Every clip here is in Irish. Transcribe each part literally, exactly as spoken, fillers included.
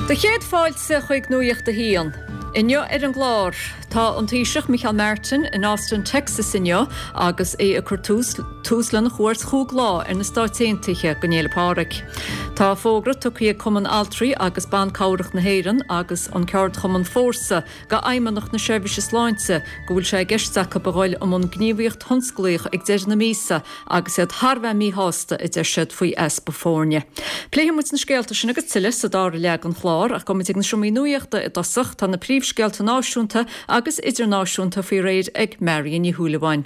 Do chéad fáilte chuig Nuacht a hAon. Inniu ar an gclár tá an Taoiseach Micheál Martin in Austin, Texas inniu agus é ag cur tús tús lena chuairt chúig lá ar na Stáit Aontaithe don Fhéile Pádraig. Tá fógra tugtha ag Cumann Altraí agus Ban Cabhrach na hÉireann agus an ceardchumann Fórsa go Fheidhmeannacht na Seirbhíse Sláinte go bhfuil sé i gceist acu a dhul i mbun gníomhaíocht thionsclaíoch ag deireadh na míosa agus iad thar bheith míshásta a deir siad faoi easpa foirne. Pléifidh muid na scéalta sin agus tuilleadh sa dara leath den chlár ach gabhfaidh muid ag na seomraí nuachta i dtosach tá na príomhscéalta náisiúnta agus idirnáisiúnta faoi réir ag Marion Ní Shúilleabháin.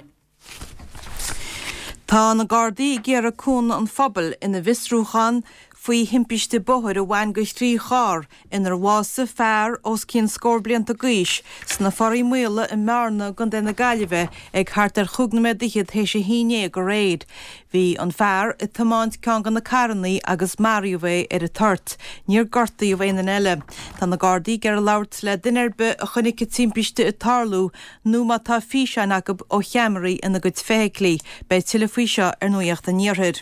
Tá na Gardaí ag iarraidh cúnamh an phobail ina bhfiosrúchán faoi thimpiste bóthair a bhain go thrí charr inar bhásaigh fear os cionn scór blianta d'aois sna Foraí Maola i mBearna i gContae na Gaillimhe ag thart ar chúig nóiméad d'fhichead théis a haon déag aréir. Bhí an fear ag tiomáint ceann de na carranna agus maraíodh é ar an toirt. Níor gortaíodh aon duine eile. Tá na Gardaí ag iarraidh labhairt le duine ar bith a chonaic an timpiste ag tarlú nó má tá físeáin acu ó cheamaraí ina gcuid feithiclí. Beidh tuilleadh faoi seo ar Nuacht an Iarthair.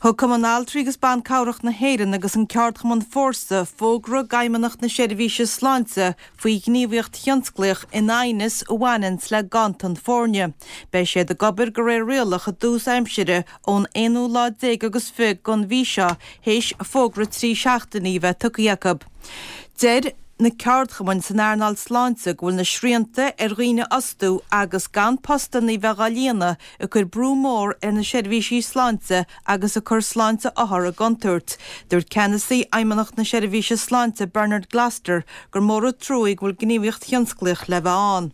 Thug Cumann Altraí agus Ban Cabhrach na hÉireann agus an ceardchumann Fórsa fógra d'Fheidhmeannacht na Seirbhíse Sláinte faoi ghníomhaíocht thionsclaíoch in aighneas a bhaineann le ganntan foirne. Beidh siad ag obair de réir rialach i dtús aimsire ón aonú lá déag agus fiche den mhí seo théis fógra trí seachtainí a bheith tugtha acu. Deir na ceardchumainn san earnáil sláinte go bhfuil na srianta ar dhaoine a fhostú agus gan postanna a bheith á líonadh ag cur brú mór ar na seirbhísí sláinte agus ag cur sláinte othar i gcontúirt. Dúirt ceannasaí Fheidhmeannacht na Seirbhíse Sláinte Bernard Gloster gur mór an trua go bhfuil gníomhaíocht thionsclaíoch le bheith ann.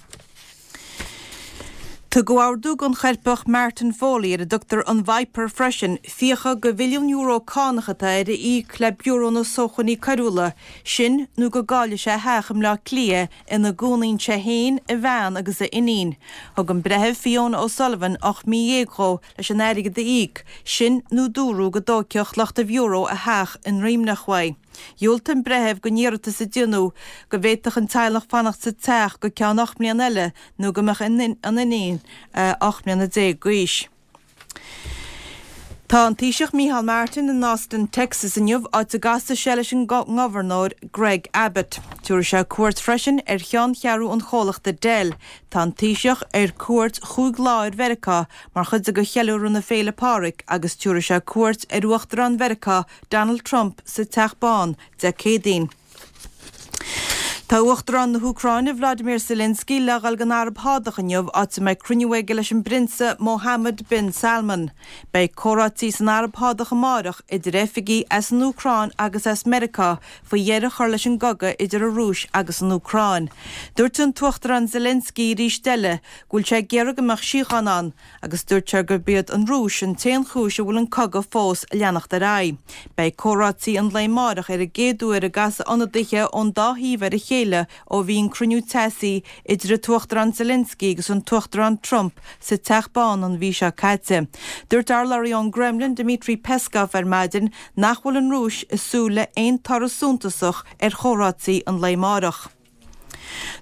Tugadh ordú don choirpeach Martin Foley ar a dtugtar an Viper freisin, fiacha de mhilliún euro cánach atá air a íoc le Biúró na Sócmhainní Coiriúla, sin nó go gcaillfidh sé a theach i mBleá Cliath ina gcónaíonn sé féin, a bhean agus a iníon. Thug an breitheamh Fiona O'Sullivan ocht mí dhéag dhó leis an airgead a íoc, sin nó dúradh go dtógfadh lucht an bhiúró a theach i nDroimneach uaidh. Dhiúltaigh an breitheamh don iarratas a déanadh go bhféadfadh an teaghlach fanacht sa teach go ceann ocht mbliana eile nó go mbeadh an iníon ocht mbliana déag d'aois. Tá an Taoiseach Micheál Martin in Austin, Texas inniu áit a gcasfaidh sé leis an ngobharnóir Greg Abbott. Tabharfaidh sé cuairt freisin ar cheanncheathrú an chomhlachta Dell. Tá an Taoiseach ar cuairt chúig lá ar Mheiriceá mar chuid de cheiliúradh na Féile Pádraig agus tabharfaidh sé cuairt ar Uachtarán Mheiriceá Donald Trump sa Teach Bán Dé Céadaoin. Tá Uachtarán na hÚcráine Vladimir Zelensky le dhul don Araib Shádach inniu áit a mbeidh cruinniú aige leis an bprionsa Mohammed bin Salman. Beidh comhráití san Araib Shádach amárach idir oifigigh as an Úcráin agus as Meiriceá faoi dheireadh a chur leis an gcogadh idir an Rúis agus an Úcráin. Dúirt an tUachtarán Zelensky arís eile go bhfuil sé ag iarraidh go mbeadh síocháin ann, agus dúirt sé gurb iad an Rúis an t-aon chúis a bhfuil an cogadh fós ag leanacht ar aghaidh. Beidh comhráití an lae amárach ar an gcéad uair a gcasfaidh ionadaithe ón dá thaobh ar a chéile ó bhí an cruinniú teasaí idir an tUachtarán Zelensky agus an tUachtarán Trump sa Teach Bán an mhí seo caite. Dúirt urlabhraí ón gCremlin Dmitry Peskov ar maidin nach bhfuil an Rúis ag súil le haon toradh suntasach ar chomhráití an lae amárach.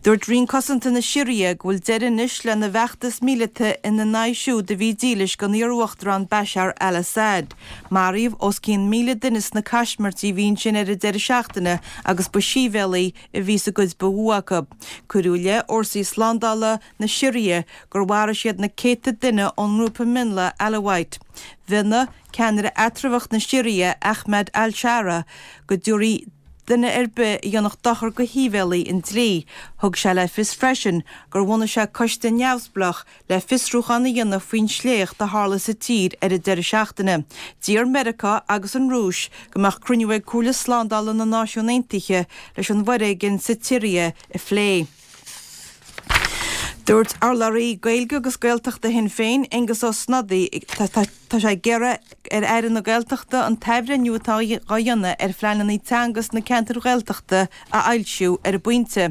Dúirt Roinn Cosanta na Siria go bhfuil deireadh anois lena bhfeachtas míleata ina n-aghaidh siúd a bhí dílis don iar-uachtarán Bashar al-Assad. Maraíodh os cionn míle duine sna caismirtí a bhí ansin ar an deireadh seachtaine agus ba shibhialaigh a bhí sa gcuid ba mhó acu. Cuireadh i leith fhórsaí slándála na Siria gur mharaigh siad na céadta duine ón ngrúpa mionlaigh Alawite. Mhionnaigh ceannaire eatramhach na Siria Ahmed al-Sharaa go dtabharfaí duine ar bith a dhéanfadh dochar do shibhialaigh an dlí. Thug sé le fios freisin gur bhunaigh sé coiste neamhspleách le fiosrúchán a dhéanamh faoin sléacht a tharla sa tír ar an deireadh seachtaine. D'iarr Meiriceá agus an Rúis go mbeadh cruinniú ag Comhairle Slándála na Náisiún Aontaithe leis an bhforéigean sa tSiria a phlé. Dúirt urlabhraí Gaeilge agus Gaeltachta Shinn Féin, Aengus Ó Snodaigh, tá sé ag iarraidh ar Aire na Gaeltachta an t-athbhreithniú atá á dhéanamh ar phleananna teanga sna ceantair Ghaeltachta a fhoilsiú ar an bpointe.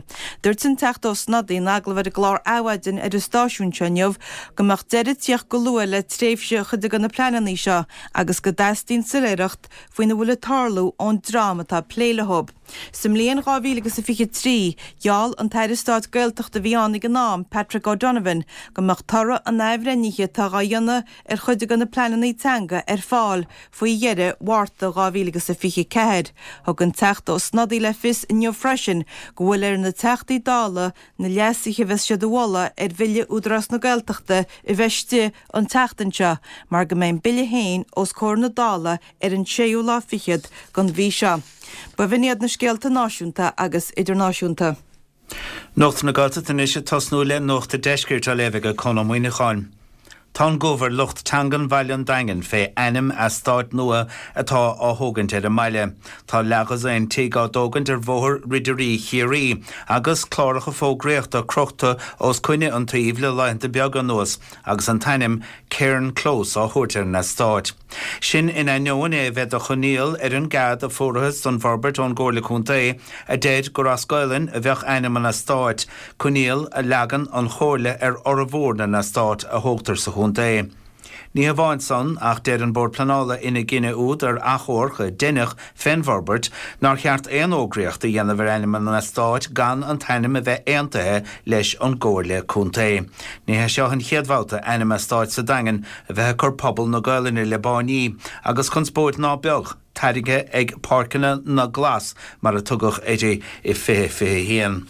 Dúirt an Teachta Ó Snodaigh in agallamh ar an gclár Adhmhaidin ar an stáisiún seo inniu go mbeadh deireadh ag tíocht go luath le tréimhse chuid de na pleananna seo agus go dteastaíonn soiléireacht faoina bhfuil ag tarlú ón dream atá ag plé leo. Sa mbliain dhá mhíle agus a fiche trí, gheall an tAire Stáit Gaeltachta a bhí ann ag an am, Pat Patrick O'Donovan go mbeadh toradh an athbhreithnithe atá á dhéanamh ar chuid de na pleananna teanga ar fáil faoi dheireadh Mhárta dhá mhíle agus a fiche ceathair. Thug an Teachta Ó Snodaigh le fios inniu freisin go bhfuil ar na Teachtaí Dála na leasuithe a bheas siad a mholadh ar Bhille Údarás na Gaeltachta a bheith istigh an tseachtain seo mar go mbeidh an Bille féin os comhair na Dála ar an séú lá fichead den mhí seo. B'in iad na scéalta náisiúnta agus idirnáisiúnta. Nuacht na Gaeltachta anois ag tosnú le Nuacht an Deiscirt á léamh ag Conn Ó Muíneacháin. Tá an gomh ar lucht teangan Bhaile an Daingin fé ainm eastáit nua atá á thógaint ar an mbaile. Tá leathdhosaen tigh á dtógaint ar Bhóthar Ridirí Chiarraí agus cláracha fógraíochta crochta os coinne an tsuímh le laethanta beaga anuas agus an t-ainm Cairn Close á thabhairt ar an eastát. Sin in ainneoin é a bheith de choinníoll ar an gcead a fuarthas don bhforbairt ón gComhairle Contae, a deir gur as Gaolainn a bheadh ainm an eastáit, coinníoll a leagann an Chomhairle ar fhormhór na n-eastát a thógtar sa chontae. Ní hamháin san, ach deir an Bord Pleanála ina gcinneadh úd ar achomharc a deineadh fén bhforbairt nár cheart aon fhógraíocht a dhéanamh ar ainm an eastáit gan an t-ainm a bheith aontaithe leis an gComhairle Contae. Ní hé seo an chéad bhabhta ainm eastáit sa Daingean a bheith ag cur pobal na Gaolainne le báiní, agus conspóid ná beag tarraingthe ag Páirceanna na nGlas mar a tugadh uirthi i fiche fiche haon.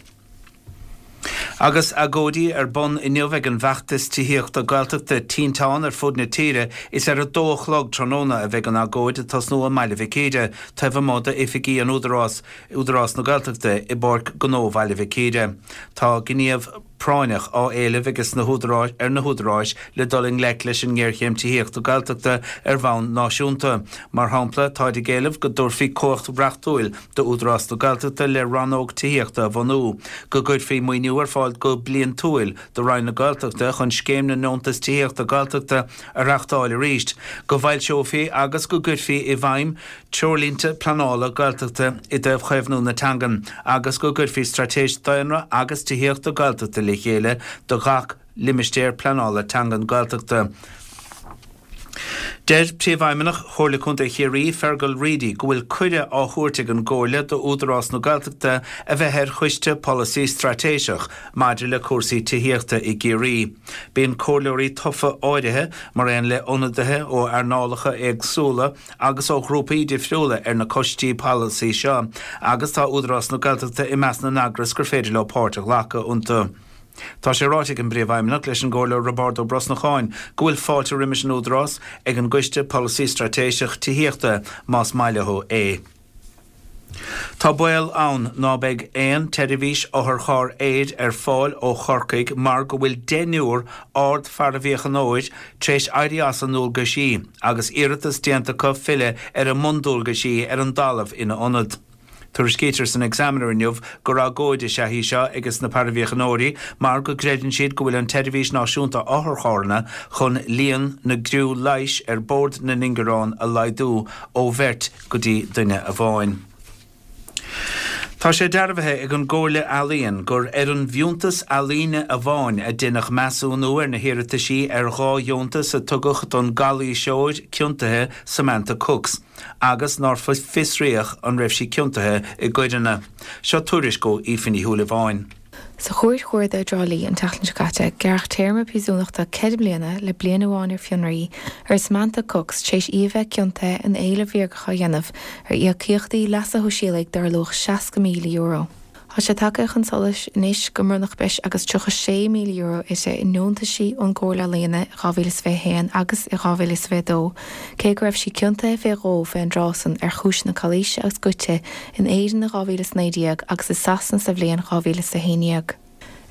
Agus agóidí ar bun inniu ag an bhfeachtas tithíochta Gaeltachta Tinteán ar fud na tíre, is ar a dó a chlog tráthnóna a bheidh an agóid ag tosnú i mBaile Mhic Íre, taobh amuigh d'oifigí an Údarás, Údarás na Gaeltachta, i bPáirc Ghnó Bhaile Mhic Íre. Tá gníomh práinneach á éileamh ages na húdaráis ar na húdaráis le dul i ngleic leis an ngéarchéim tithíochta Gaeltachta ar bhonn náisiúnta. Mar shampla, táid ag éileamh go dtabharfaí cumhacht reachtúil d'Údarás na Gaeltachta le rannóg tithíochta a bhunú, go gcuirfí maoiniú ar fáil go bliantúil do Roinn na Gaeltachta chun Scéim na nDeontas Tithíochta Gaeltachta a reáchtáil arís, go bhfoilseofaí agus go gcuirfí i bhfeidhm treoirlínte pleanála Gaeltachta i dtaobh chaomhnú na teangan agus go gcuirfí straitéis daonra agus tithíochta Gaeltachta le chéile do gach limistéar pleanála teangan Gaeltachta. Deir Príomhfheidhmeannach Chomhairle Contae Chiarraí, Fergal Reidy, go bhfuil cuireadh á thabhairt ag an gComhairle d'Údarás na Gaeltachta a bheith ar choiste polasaí straitéiseach maidir le cúrsaí tithíochta i gCiarraí. Bíonn comhairleoirí tofa áirithe, mar aon le ionadaithe ó earnálacha éagsúla agus ó ghrúpaí difriúla ar na coistí polasaí seo, agus tá Údarás na Gaeltachta i measc na n-eagras gur féidir leo páirt a ghlacadh iontu. Tá sé ráite ag an bPríomhfheidhmeannach leis an gComhairleoir Roibeárd Ó Brosnacháin go bhfuil fáilte roimis an Údarás ag an gCoiste Polasaí Straitéiseach Tithíochta más maith leo é. Tá baol ann ná beidh aon tseirbhís otharcharr aeir ar fáil ó Chorcaigh mar go bhfuil deichniúr ard-pharaimhíochaineoir tar éis éirí as a ndualgaisí agus iarratas déanta acu filleadh ar a mbundualgaisí ar an dtalamh ina ionad. Tuairiscítear san Examiner inniu gur agóid is ea í seo ages na paraimhíochaineoirí mar go gcreideann siad go bhfuil an tSeirbhís Náisiúnta Otharcharranna chun líon na gcriú leighis ar bord na n-ingearán a laghdú ó bheirt go dtí duine amháin. Tá sé dearbhaithe ag an gComhairle Ealaíon gur ar an bhfiúntas ealaíne amháin a deineadh measúnú ar na hiarrataisí ar dhá dheontas a tugadh don gcalaoiseoir ciontaithe Samantha Cooks agus nár fiosraíodh an raibh sí ciontaithe i gcoireanna. Seo tuairisc ó Aoife Ní Shúilleabháin. Sa Chúirt Chuarda i dTrá Lí an tseachtain seo caite, gearradh téarma príosúnachta ceithre bliana le bliain amháin ar fionraí ar Samantha Cooks tar éis í a bheith ciontaithe in éilimh bhréagacha a dhéanamh ar íocaíochtaí leasa shóisialaigh dar luach seasca míle euro. Tá sé tagtha chun solais anois go mbronnadh breis agus tríocha sé míle euro uirthi i ndeontaisí ón gComhairle Ealaíon i dhá mhíle is fiche a haon agus i dhá mhíle is fiche a dó, cé go raibh sí ciontaithe fé dhó fé an dtráth san ar chúiseanna calaoise agus goidte in Éirinn i dhá mhíle is naoi déag agus i Sasana sa bhliain dhá mhíle is a haon déag.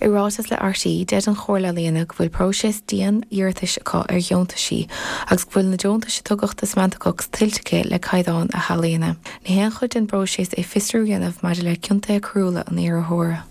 I ráiteas le R T E, deir an Chomhairle Ealaíon go bhfuil próiseas dian iarratais acu ar dheontaisí agus go bhfuil na deontais a tugadh do Samantha Cooks tuillte aici le caighdeán a healaíona. Ní haon chuid den bpróiseas é fiosrú a dhéanamh maidir le ciontuithe coiriúla an iarrthóra.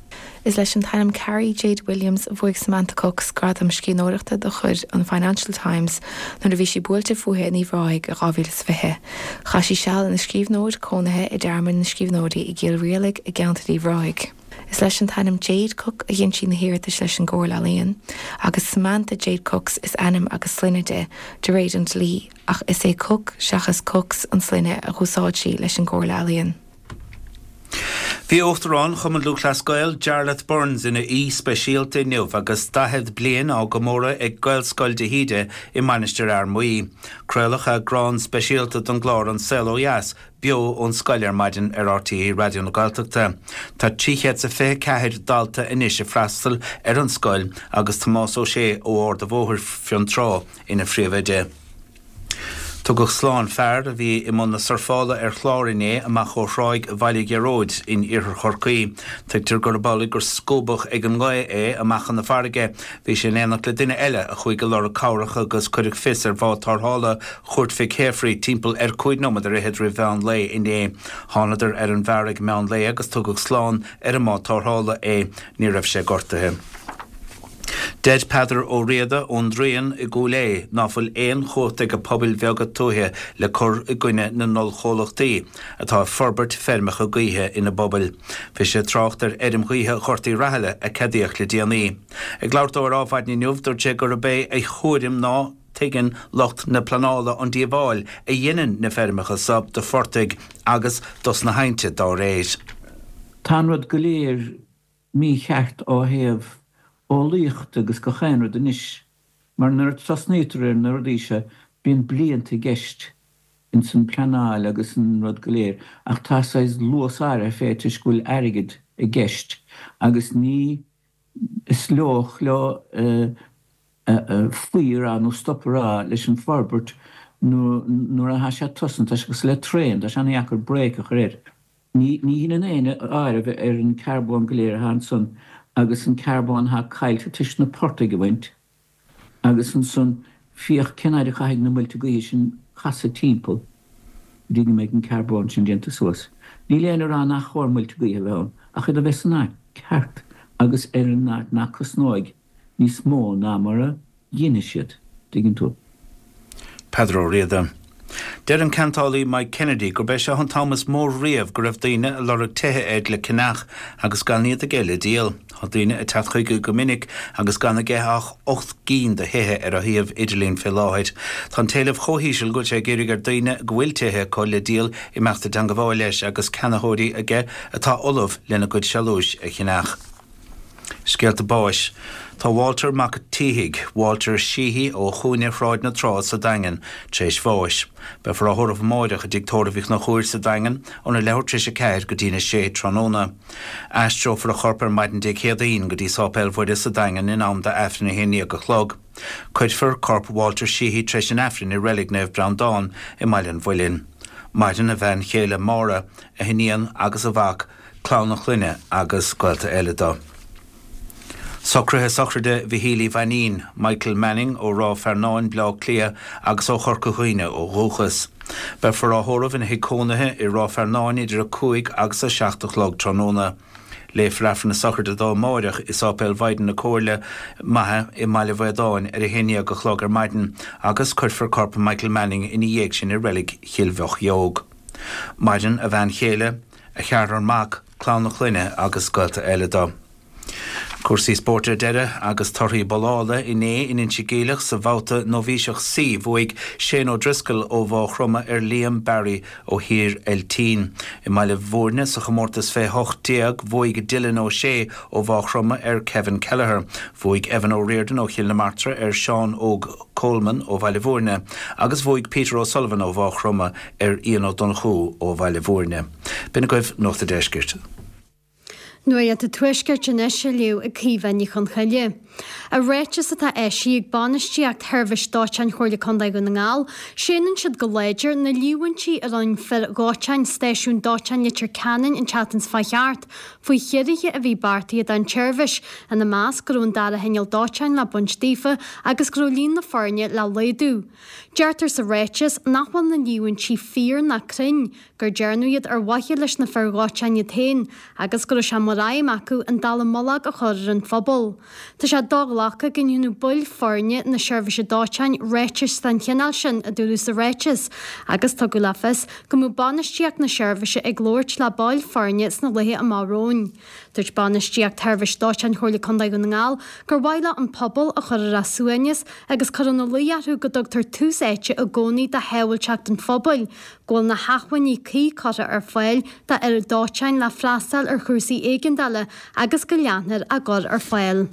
Is leis an t-ainm Carrie Jade Williams a bhuaigh Samantha Cooks gradam scríbhneoireachta de chuid an Financial Times nuair a bhí sí buailte fúithi in Uíbh Ráthaigh i dhá mhíle is fiche. Chaith sí seal ina scríbhneoir cónaithe i dTearmann na Scríbhneoirí i gCill Rialaig i gceantar Uíbh Ráthaigh. Is leis an t-ainm Jade Cook a dhein sí na hiarratais leis an gComhairle Ealaíon, agus Samantha Jade Cooks is ainm agus sloinne di, de réir an dlí, ach is é Cook seachas Cooks an sloinne a dh'úsáid sí leis an gComhairle Ealaíon. Bhí Uachtarán Chumann Lúthchleas Gael Jarlath Burns ina aoi speisialta inniu agus daichead bliain á gcomóradh ag Gaelscoil de hÍde i Mainistir Fhear Maí. Craoladh eagrán speisialta den gclár An Saol Ó Dheas beo ón scoil ar maidin ar RTÉ Raidió na Gaeltachta. Tá trí chéad is a fiche ceathair dalta anois ag freastal ar an scoil agus Tomás Ó Sé ó Ard an Bhóthair Fionntrá ina phríomhoide. Tugadh slán fear a bhí i mbun na surfála ar chlár inné amach ó thráigh Bhaile Ghearóid in iarthar Chorcaí. Tuigtear gurb amhlaidh gur scuabadh ag an ngaoth é amach chun na farraige. Bhí sé in éineacht le duine eile a chuaigh ag lorg cabhrach agus cuireadh fios ar bhád tarrthála Chúirt Mhic Shéafraidh timpeall ar cúig nóiméad ar fhichead roimh mheán lae inné. Thánadar ar an bhfear ag meán lae agus tugadh slán ar an mbád tarrthála é. Ní raibh sé gortaithe. Deir Peadar Ó Riada ón Dríon i gCúil Aodha ná fuil aon chumhacht ag pobail bheaga tuaithe le cur i gcoinne na n-ollchomhlachtaí atá ag forbairt feirmeacha gaoithe ina bpobail. Bhí sé ag trácht ar fheirm ghaoithe Ghort Uí Rathaille a ceadaíodh le déanaí. Ag labhairt dó ar Adhmhaidin inniu, dúirt sé gurb é a thuairim ná tuigeann lucht na pleanála an díobháil a dheineann na feirmeacha so do phortaigh agus dos na haibhnte dá réir. Tá an rud go léir mícheart ó thaobh eolaíochta agus gach aon rud anois, mar nuair a tosnaítear ar na rudaí seo bíonn blianta i gceist ins an pleanáil agus an rud go léir, ach tá saghas luas áirithe fé toisc go bhfuil airgead i gceist agus ní is lóch leo faoi a rá nó stop a rá leis an forbairt nuair atá sé tosnaithe, tá sé cosúil le traein, tá sé an-dheacair brake a chur air. Ní dheineann éinne áireamh ar an carbón go léir atá ansan agus an carbón atá caillte toisc na portaigh a bhaint agus ansan féach cén fhaid a chaithfidh na muilte gaoithe sin casadh timpeall go dtí go mbeidh an carbón sin déanta suas. Níl éinne ag rá nach chóir muilte gaoithe a bheith ann ach iad a bheith san áit ceart agus ar an áit nach cosnóidh níos mó ná mar a ghinfidh siad, tuigeann tú. Peadar Ó Riada. Deir an ceantálaí Mike Kennedy gurb é seo an t-am is mó riamh go raibh daoine ag lorg tithe air le ceannach agus gan iad aige le díol. Tá daoine ag teacht chuige go minic agus gan aige ach ocht gcinn de thithe ar a shuíomh idirlín fé láthair. Tá an t-éileamh chomh híseal go bhfuil sé ag iarraidh ar daoine go bhfuil tithe acu le díol imeacht i dteangabháil leis agus ceannaitheoirí aige atá ullamh lena gcuid sealúis a cheannach. Scéalta báis. Tá Walter Mac Títhigh, Walter Sheehy ó chúinne Shráid na Trá sa Daingean, tar éis bháis. Beifear á thórramh amáireach i dTigh Tórraimh Uí Chonchúir sa Daingean óna leathuair tar éis a ceathair go dtína sé tráthnóna. Aistreofar a chorp ar maidin Dé Céadaoin go dtí Sáipéal Mhuire sa Daingean in am d'Aifreann a haon déag a chlog. Cuirfear corp Walter Sheehy tar éis an Aifrinn i Reilig Naomh Breandán i mBaile an Mhuilinn. Maireann a bhean chéile Máire, a hiníon agus a mhac, clann a chlainne agus gaolta eile dó. Socruithe sochraide Mhichíl Uí Mhainín, Michael Manning ó Ráth Fearnáin, Bleá Cliath agus ó Chorca Dhuibhne ó dhúchas. Beifear á thórramh ina thigh cónaithe i Ráth Fearnáin idir a cúig agus a seacht a chlog tráthnóna. Léifear Aifreann na sochraide dó amáireach i Sáipéal Mhaighdean na Comhairle Maithe i mBaile Bhaodáin ar a haon dhéag a chlog ar maidin agus cuirfear corp Michael Manning ina dhiaidh sin i reilig Chill Mhochióg. Maireann a bhean chéile, a cheathrar mac, clann a chlainne agus gaolta eile dó. Cúrsaí spóirt ar deireadh agus torthaí babhlála inné in Inse Geimhleach sa bhabhta Nóibhíseach C. Bhuaigh Shane O'Driscoll ó Mhaigh Chromtha ar Liam Barry ó Thír Eiltín. I mBaile Bhúirne sa chomórtas fé hocht déag bhuaigh Dylan O'Shea ó Mhaigh Chromtha ar Kevin Kelleher. Bhuaigh Evan O'Riordan ó Chill na Martra ar Seán Óg Coleman ó Bhaile Bhúirne agus bhuaigh Peter O'Sullivan ó Mhaigh Chromtha ar Ian Ó Donnchú ó Bhaile Bhúirne. B'in agaibh Nuacht an Deiscirt. Nuacht an Tuaiscirt anois á léamh ag Caoimhe Ní Chonchoille. I ráiteas atá eisithe ag bainistíocht Sheirbhís Dóiteáin Chomhairle Contae Dhún na nGall, séanann siad go láidir na líomhaintí a rinne fir dhóiteáin Stáisiún Dóiteáin Leitir Ceanainn an tseachtain seo chuaigh thart faoi chiorruithe a bhí beartaithe don tseirbhís, ina measc go raibh an dara hinneall dóiteáin le baint daofa agus go raibh líon na foirne le laghdú. Deirtear sa ráiteas nach bhfuil na líomhaintí fíor ná cruinn, gur dearnadh iad ar mhaithe leis na fir dhóiteáin iad féin agus go raibh sé mar aidhm acu an dallamullóg a chur ar an phobal. Tá sé do-ghlactha go ndéanadh baill foirne na Seirbhíse Dóiteáin ráitis den chineál sin, a dúradh sa ráiteas, agus tugadh le fios go mbeadh bainistíocht na seirbhíse ag labhairt le baill foirne sna laetha amach romhainn. Dúirt bainistíocht Sheirbhís Dóiteáin Chomhairle Contae Dhún na nGall gur mhaith leo an pobal a chur ar a suaimhneas agus cur ina luí orthu go dtugtar tús áite i gcónaí do shábháilteacht an phobail, go bhfuil na hacmhainní cuí curtha ar fáil d'fhir dóiteáin le freastal ar chúrsaí éigeandála agus go leanfar á gcur ar fáil.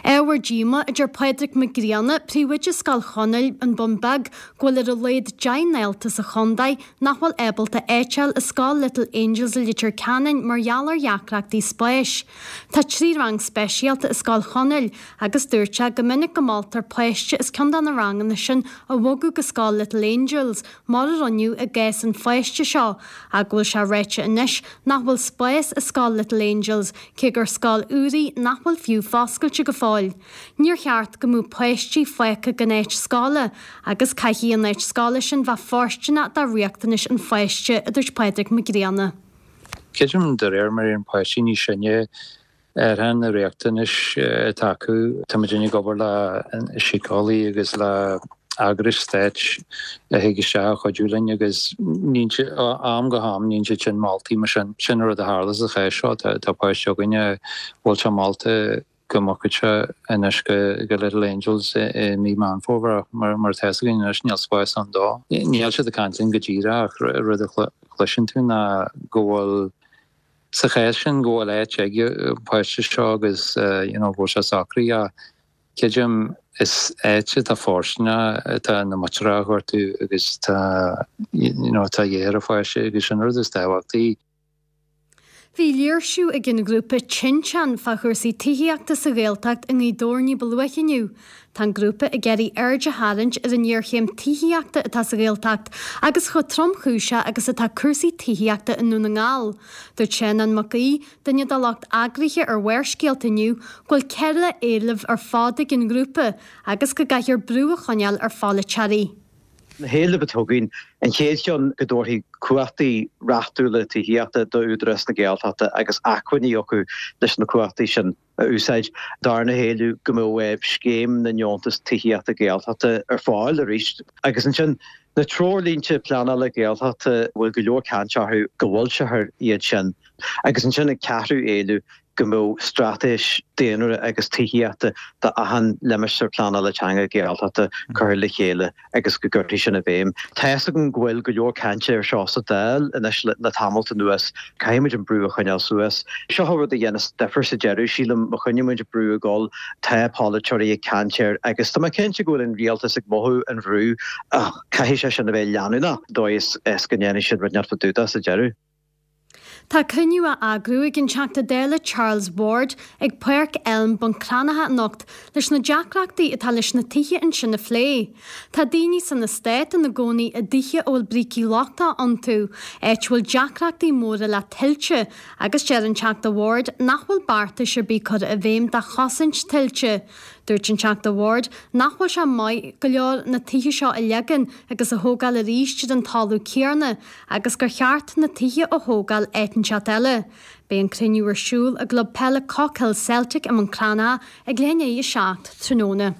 Ábhar díomá, a deir Pádraig Mac Grianna, príomhoide Scoil Chonaill, An Bun Beag, go bhfuil ar a laghad deich ndalta sa chontae nach bhfuil ábalta áit a fháil i Scoil Little Angels i Leitir Ceanainn mar gheall ar dheacrachtaí spáis. Tá trí rang speisialta i Scoil Chonaill agus dúirt sé go minic go moltar páiste as ceann de na ranganna sin a bhogadh go Scoil Little Angels, mar a rinneadh i gcás an pháiste seo, ach go bhfuil sé ráite anois nach bhfuil spás i Scoil Little Angels, cé gur scoil úr í nach bhfuil fiú foscailte go fóill. Níor cheart go mbeadh páistí fágtha gan áit scoile agus caithfidh an áit scoile sin bheith fóirsteanach do riachtanais an pháiste, a dúirt Pádraig Mac Grianna. Creidim de réir mar a éiríonn páistí níos sine athraíonn na riachtanais atá acu. Tá muid ag obair le síceolaí agus le eagrais stáit a thig isteach a chuidiú linn agus ó am go ham níonn siad sin moltaí mar sin. Sin an rud a tharla sa chás seo, tá páiste againn a bhfuil sé molta go mbogfadh sé anois go Little Angels i mí Meán Fómhair ach mar atá fhios againn anois níl spás ann dó. Níl siad ag caint linn go díreach ach rud a chloiseann tú ná go bhfuil sa chás sin go bhfuil áit ag an páiste seo agus you know go bhfuil sé socraithe ach creidim is áit atá fóirsteanach atá na muinteartha a ghortú agus tá you know tá dhé ar an pháiste agus sin rud is tábhachtaí. Bhí léirsiú ag an ghrúpa Tinteán fá chúrsaí tithíochta sa Ghaeltacht i nGaoth Dobhair ní ba luaithe inniu. Tá an grúpa ag iarraidh aird a tharraingt ar an ngéarchéim tithíochta atá sa Ghaeltacht agus chomh tromchúiseach agus atá cúrsaí tithíochta i nDún na nGall. Dúirt Seanán Mac Aoidh, duine dá lucht eagraithe ar Bharrscéalta inniu, go bhfuil ceithre éileamh ar fad ag an ngrúpa agus go gcaithfear brú a choinneáil ar pholaiteoirí. Na héilimh atá againn, an chéad cheann go dtabharfaí cumhachtaí reachtúla tithíochta d'Údarás na Gaeltachta agus acmhainní acu leis na cumhachtaí sin a úsáid. Darna héileamh go mbeadh scéim na ndeontas tithíochta Gaeltachta ar fáil arís. Agus ansin na treoirlínte pleanála Gaeltachta a bhfuil go leor caint orthu go bhfoilseofar iad sin. Agus ansin an ceathrú éileamh go mbeadh straitéis daonra agus tithíochta d'achan limistéar pleanála teanga Gaeltachta curtha le chéile agus go gcuirfí sin i bhfeidhm. Tá fhios agam go bhfuil go leor cainte air seo sa Dáil anois le tamalt anuas. Caithfidh muid an brú a choinneáil suas. Seo an rud a dhéanas difear sa deireadh, sílim, má choinníonn muid an brú ag dul, tá polaiteoirí ag caint air agus tá mé cinnte go bhfuil an rialtas ag mothú an bhrú ach caithfidh sé sin a bheith leanúnach dóigh is go ndéanfaidh siad rud inteacht fá dtaobh de sa deireadh. Tá cruinniú á eagrú ag an Teachta Dála Charles Ward ag Páirc Elm, Bun Cranncha anocht leis na deacrachtaí atá leis na tithe ansin a phlé. Tá daoine san eastát ina gcónaí i dtithe a bhfuil brící lochtacha iontu, áit a bhfuil deacrachtaí móra le tuilte, agus deir an Teachta Ward nach bhfuil beartais ar bith curtha i bhfeidhm do chosaint tuilte. Dúirt an Teachta Ward nach bhfuil sé maith go leor na tithe seo a leagan agus a thógáil arís ar an talamh céanna agus gur cheart na tithe a thógáil áit inteacht eile. Beidh an cruinniú ar siúl i gClub Peile Cockhill Celtic i mBun Cranncha ag leath i ndiaidh a seacht tráthnóna.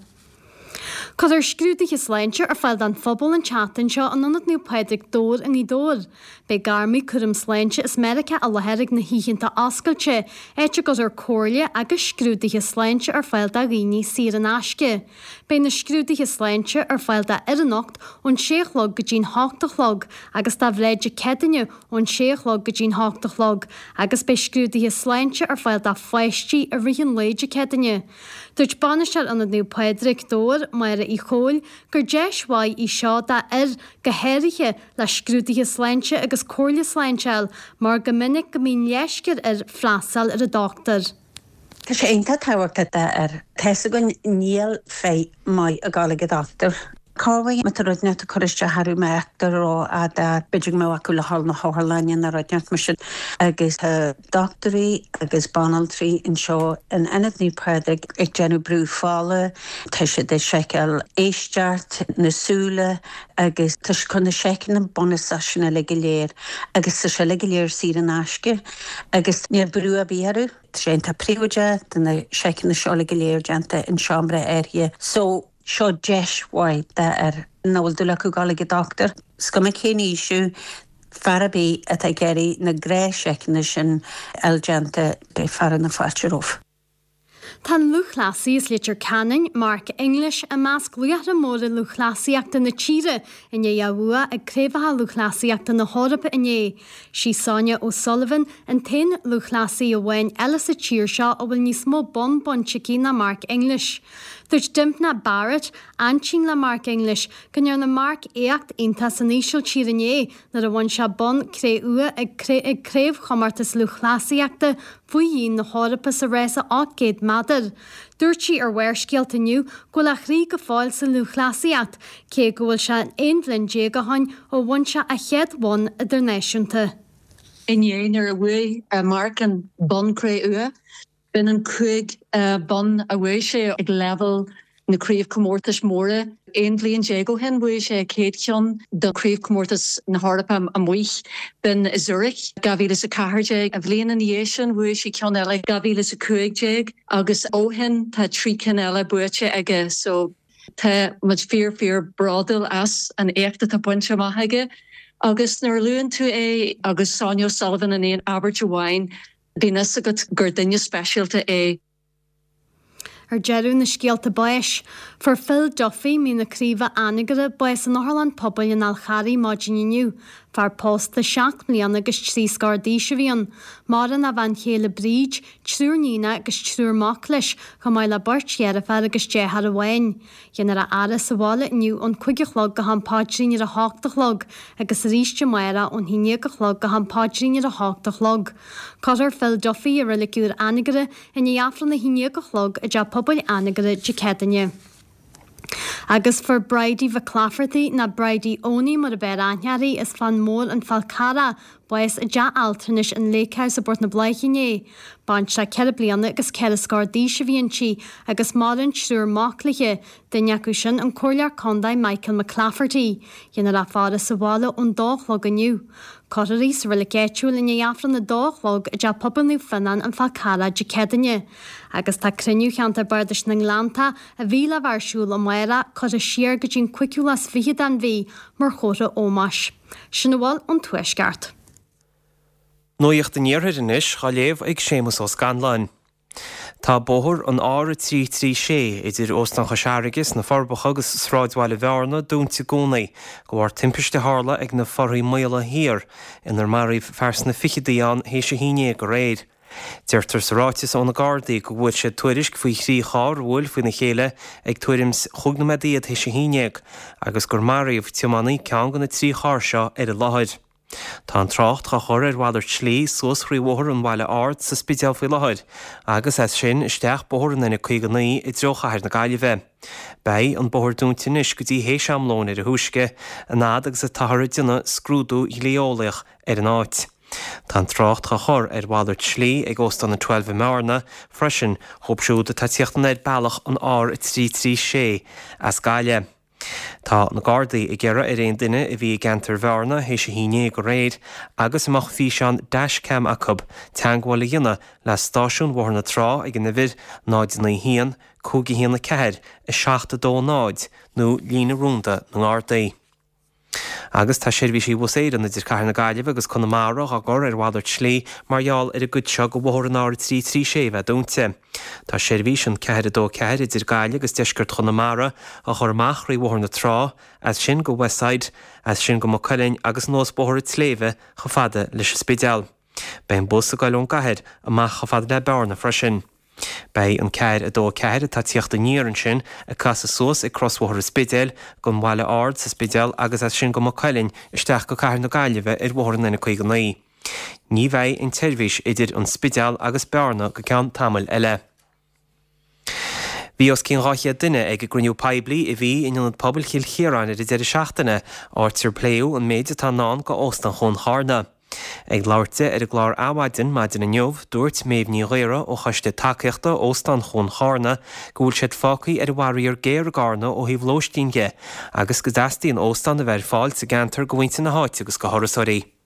Cuirfear scrúduithe sláinte ar fáil don phobal an tseachtain seo in Ionad Naomh Pádraig, Dobhar i nGaoth Dobhair. Beidh gairmí cúram sláinte as Meiriceá i láthair ag na hoícheanta oscailte, áit a gcuirfear comhairle agus scrúduithe sláinte ar fáil do dhaoine saor in aisce. Beidh na scrúduithe sláinte ar fáil d'fhir anocht ón sé a chlog go dtí'n hocht a chlog agus do mhná Dé Céadaoine ón sé a chlog go dtí'n hocht a chlog agus beidh scrúduithe sláinte ar fáil do pháistí i rith an lae Dé Céadaoine. Dúirt Bainisteoir Ionad Naomh Pádraig, Dobhar, Máire Uí Chomhaill, gur deis mhaith í seo d'fhir, go háirithe, le scrúduithe sláinte agus comhairle sláinte a fháil, mar go minic go mbíonn leisce ar fhir freastal ar an dochtúir. Tá sé iontach tábhachtach d'fhir. Tá 'fhios againn níl féith maith ag dul ag an dochtúir. Cá bhfuil má tá rud inteacht ag cur isteach orthu má fheictear rófhada, b'fhéidir go mbeadh acu le dhul na hotharlainne nó rud inteacht mar sin. Agus tá dochtúirí agus banaltraí anseo in Ionad Naomh Pádraig ag déanamh brú fola, tá siad ag seiceáil éisteacht, na súile agus tá siad chun na seiceanna bunúsach sin uilig go léir agus tá sé uilig go léir saor in aisce agus níl brú ar bith orthu. Tá sé iontach príobháideach, tá na seiceanna seo uilig go léir déanta in seomra áirithe. So seo deis mhaith d'fhear nach bhfuil dúil acu dul ag an dochtúir. Is cuma cén aois thú, fear ar bith atá ag iarraidh na gnáthsheiceanna sin a fháil déanta, beidh fearadh na fáilte romhaibh. Tá an lúthchleasaí as Leitir Ceanainn, Mark English, i measc laochra móra lúthchleasaíochta na tíre i ndiaidh a bhua ag Craobhacha Lúthchleasaíochta na hEorpa inné. Sí Sonia O'Sullivan an t-aon lúthchleasaí amháin eile sa tír seo a bhfuil níos mó bonn bainte aici ná Mark English. Dúirt Dympna Barrett, aintín le Mark English, go ndearna Mark éacht iontach san Ísiltír inné nuair a bhain sé bonn cré-umha ag Craobhchomórtas Lúthchleasaíochta faoi dhíon na hEorpa sa rása ocht gcéad méadar. Dúirt sí ar Bharrscéalta inniu go bhfuil a chroí go fóill sa lúthchleasaíocht, cé go bhfuil sé aon bhliain déag ó shin ó bhain sé a chéad bhonn idirnáisiúnta. Inné nuair a bhuaigh Mark an bonn cré-umha, b'in an cúig bonn a bhuaigh sé ag leibhéal na craobhchomórtais móra. Aon bhliain déag ó shin bhuaigh sé a chéad cheann do chraobhchomórtas na hEorpa amuigh. B'in i Zurich dhá mhíle is a ceathair déag. An bhliain ina dhiaidh sin bhuaigh sé ceann eile dhá mhíle is a cúig déag agus ó shin tá trí cinn eile buaite aige so tá muid fíor fíor bródúil as an éacht atá bainte amach aige. Agus nuair a luann tú é agus Sonia O'Sullivan in aon abairt amháin, bíonn fhios agat gur duine speisialta é. Ar deireadh na scéalta báis, fuair Phil Duffy, Mín na Craoibhe, Anagaire, bás in Otharlann Pobail an Fháil Charraigh maidin inniu. Fear pósta seacht mbliana agus trí scór d'aois a bhí ann. Maireann a bhean chéile Bríd, triúr níonacha agus triúr mac leis, chomh maith le beirt dheirféar agus deartháir amháin. Déanfar a fhaire sa bhaile inniu ón cúig a chlog go ham paidrín ar a hocht a chlog agus arís amárach ón haon déag a chlog go ham paidrín ar a hocht a chlog. Cuirfear Phil Duffy i Reilig Úr Anagaire i ndiaidh Aifreann a haon déag a chlog i dTeach Pobail Anagaire Dé Céadaoine. Agus fuair Bridie McClafferty nó Bridie Owney mar ab fhearr aithne uirthi as Fán Mór an Fál Carrach, bás i dteach altranais an Lake House i bPort na Bláiche inné. Baintreach ceithre bliana agus ceithre scór d'aois a bhí inti agus maireann triúr mac léi, duine acu sin an Comhairleoir Contae Michael McClafferty. Déanfar a faire sa bhaile ón dó a chlog inniu. Cuirfear í sa reilig áitiúil i ndiaidh Aifreann a dó a chlog i dTeach Pobail Naomh Fionnán an Fál Carrach Dé Céadaoine. Agus tá cruinniú Cheantar Bardais na nGleanntach a bhí le bheith ar siúl amárach curtha siar go dtí an cúigiú lá is fiche den mhí mar chomhartha ómóis. Sin a bhfuil ón Tuaisceart. Nuacht an Iarthair anois á léamh ag Séamus Ó Scanláin. Tá bóthar an R a trí trí sé idir Óstán Chois Fharraige sna Forbacha agus sráidbhaile Bhearna dúnta i gcónaí de bharr timpiste a tharla ag na Forthaí Maola Thiar inar maraíodh fear sna fichidí ann théis a haon déag aréir. Deirtear sa ráiteas ó na Gardaí go bhfuair siad tuairisc faoi thrí charr a bhuail faoina chéile ag tuairim is chúig nóiméad déag théis a haon déag agus gur maraíodh tiománaí ceann de na trí charr seo ar an láthair. Tá an trácht á chur ar mhalairt slí suas thrí Bhóthar an Bhaile Ard sa Spidéal faoi láthair agus as sin isteach Bóthar an N caoga naoi i dtreo chathair na Gaillimhe. Beidh an bóthar dúnta anois go dtí théis am lóin ar a thúisce, an fhad agus atáthar ag déanamh scrúdú dhlí-eolaíoch ar an áit. Tá an trácht á chur ar mhalairt slí ag Óstán an Twelve i mBearna freisin dhóibh siúd atá ag tíocht anoir bealach an R a trí trí sé as Gaillimh. Tá na Gardaí ag iarraidh ar aon duine a bhí i gceantar Bhearna théis a haon déag aréir agus a mbeadh físeán dashcam acu teagmháil a dhéanamh le stáisiún Bhóthar na Trá ag an uimhir náid naoi haon, cúig a haon a ceathair, a seacht a dó náid nó líne rúnda na nGardaí. Agus tá seirbhísí Bhus Éireann idir Cathair na Gaillimhe agus Conamara á gcur ar mhalairt slí mar gheall ar an gcuid seo de bhóthar an R a trí trí sé a bheith dúnta. Tá seirbhís an ceathair a dó ceathair idir Gaillimh agus deisceart Chonamara á chur amach thrí Bhóthar na Trá, as sin go Westside, as sin go Maigh Cuilinn agus anuas Bóthar an tSléibhe chomh fada leis an Spidéal. Beidh an bus ag goil ón gcathair amach chomh fada le Bearna freisin. Beidh an ceathair a dó a ceathair atá ag tíocht aniar ansin ag casadh suas ag crosbhóthar an Spidéil gon Bhaile Ard sa Spidéal agus as sin go Maigh Cuilinn isteach go Cathair na Gaillimhe ar Bhóthar an N caoga naoi. Ní bheidh an tseirbhís idir an Spidéal agus Bearna go ceann tamaill eile. Bhí os cionn dhá chéad duine ag an gcruinniú poiblí a bhí in Ionad Pobail Chill Chiaráin ar an deireadh seachtaine, áit ar pléadh an méid atá i ndán go Óstán Chuan Charna. Ag labhairt di ar an gclár Adhmhaidin maidin inniu, dúirt Méabh Ní Ghaora ó Choiste Tacaíochta Óstán Chuan Charna go bhfuil siad fágtha ar an bhfaraor géar i gCarna ó thaobh lóistín dhe agus go dteastaíonn óstán a bheith ar fáil sa gceantar go mhuintir na háite agus go thurasóirí.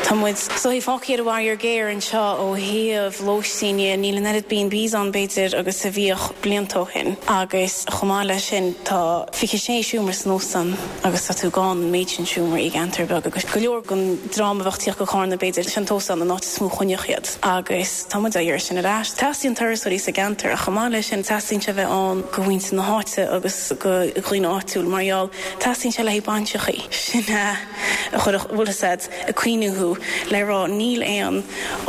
Tá muid is dóichí fágtha ar an bhfaraor géar anseo ó thaobh lóistín dhe. Níl an oiread B and Bs ann b'fhéidir agus a bhíodh blianta ó shin agus chomh maith leis sin tá fiche sé seomra san óstán agus tá tú gann an méid sin seomraí i gceantar beag agus go leor den dream a bheadh ag tíocht go Carna b'fhéidir sin an t-óstán an áit is mó a choinneodh iad agus tá muid á iarraidh sin ar ais. Teastaíonn turasóirí sa gceantar ach chomh maith leis sin teastaíonn sé a bheith ann go mhuintir na háite agus go dhaoine áitiúil mar gheall teastaíonn sé le haghaidh bainseachaí. Sin a chuirfeadh, bhfuil fhios a'd, ag cuimhniú thú le rá níl aon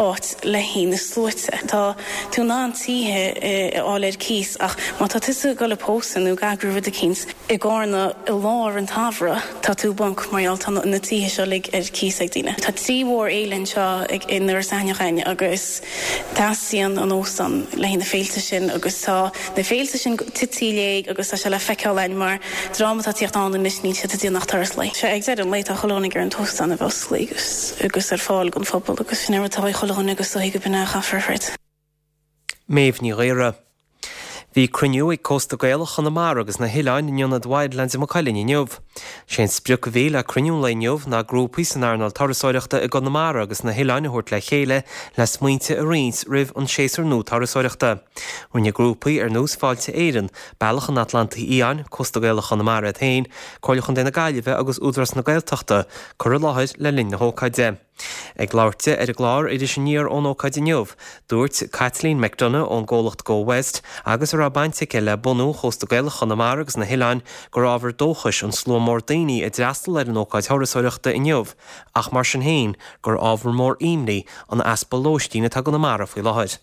áit le haghaidh na sluaite. Tá tú in ann tithe a fháil ar cíos ach má tá tusa ag dul ag pósadh nó ag eagrú rud eicínt i gCarna i lár an tsamhraidh tá tú i bponc mar gheall tá na tithe seo uilig ar cíos ag daoine. Tá trí mhórfhéile anseo in Iorras Aithneach againn agus teastaíonn an óstán le haghaidh na féilte sin agus tá na féilte sin tite i léig agus tá sé le feiceáil againn mar dream atá ag tíocht ann anois níl siad ag déanamh ach turas lae. Sea, ag deireadh an lae tá chuile dhuine ag iarraidh an t-óstán a bheith oscailte agus agus ar fáil don phobal agus sin é rud atá ag chuile dhuine agus is dóichí go b'in é a chaithfear a throid. Méabh Ní Ghaora. Bhí cruinniú ag Cósta Gaelach Chonamara agus na hOileáin in Ionad Wildlands i Maigh Cuilinn inniu. Sé an sprioc a bhí le cruinniú an lae inniu ná grúpaí san earnáil turasóireachta i gConamara agus na hOileáin a thabhairt le chéile le smaointe a roinnt roimh an séasúr nua turasóireachta. Rinne grúpaí ar nós Fáilte Éireann, Bealach an Atlantaigh Fhiáin, Cósta Gaelach Chonamara iad féin, Comhairle Chontae na Gaillimhe agus Údarás na Gaeltachta cur i láthair le linn na hócáide. Ag labhairt di ar an gclár Iris Aniar ón ócáid inniu, dúirt Caitlín McDonagh ón gcomhlacht Go West agus a raibh baint aici le bunú Chósta Gaelach Chonamara agus na hOileáin gur ábhar dóchais an slua mór daoine a d'fhreastail ar an ócáid thurasóireachta inniu ach mar sin féin gur ábhar mór imní an easpa lóistín atá i gConamara faoi láthair.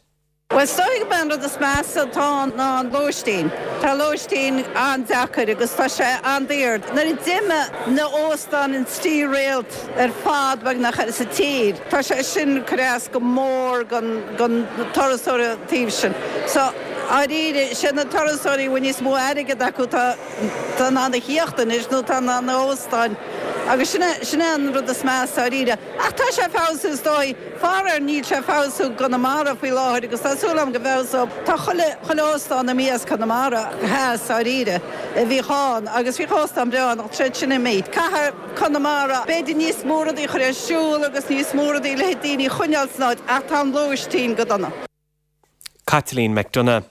Bhuel, is dóigh gurb é an rud is measa atá ann ná an lóistín. Tá lóistín an-deacair agus tá sé an-daor. Nuair a d'imigh na óstáin an trí réalt ar fad beagnach sa tír, tá sé sin ag cur as go mór don turasóir an taobh sin. So, dáiríre, sé na turasóirí a bhfuil níos mó airgead acu tá in ann a thíocht anois nó tá in ann na óstáin agus sin é sin é an rud is measa dáiríre. Ach tá sé ag feabhsú is dóigh. Faraor níl sé ag feabhsú i gConamara faoi láthair agus tá súil agam go bhfeabhsóidh. Tá chuile chuile óstán imithe as Conamara theas dáiríre a bhíodh ann agus bhíodh óstán breá ann ach tá siad sin imithe. Caithfidh Conamara b'fhéidir níos mó rudaí a chur ar siúl agus níos mó rudaí le daoine a choinneáil san áit ach tá an lóistín go dona. Caitlín McDonagh.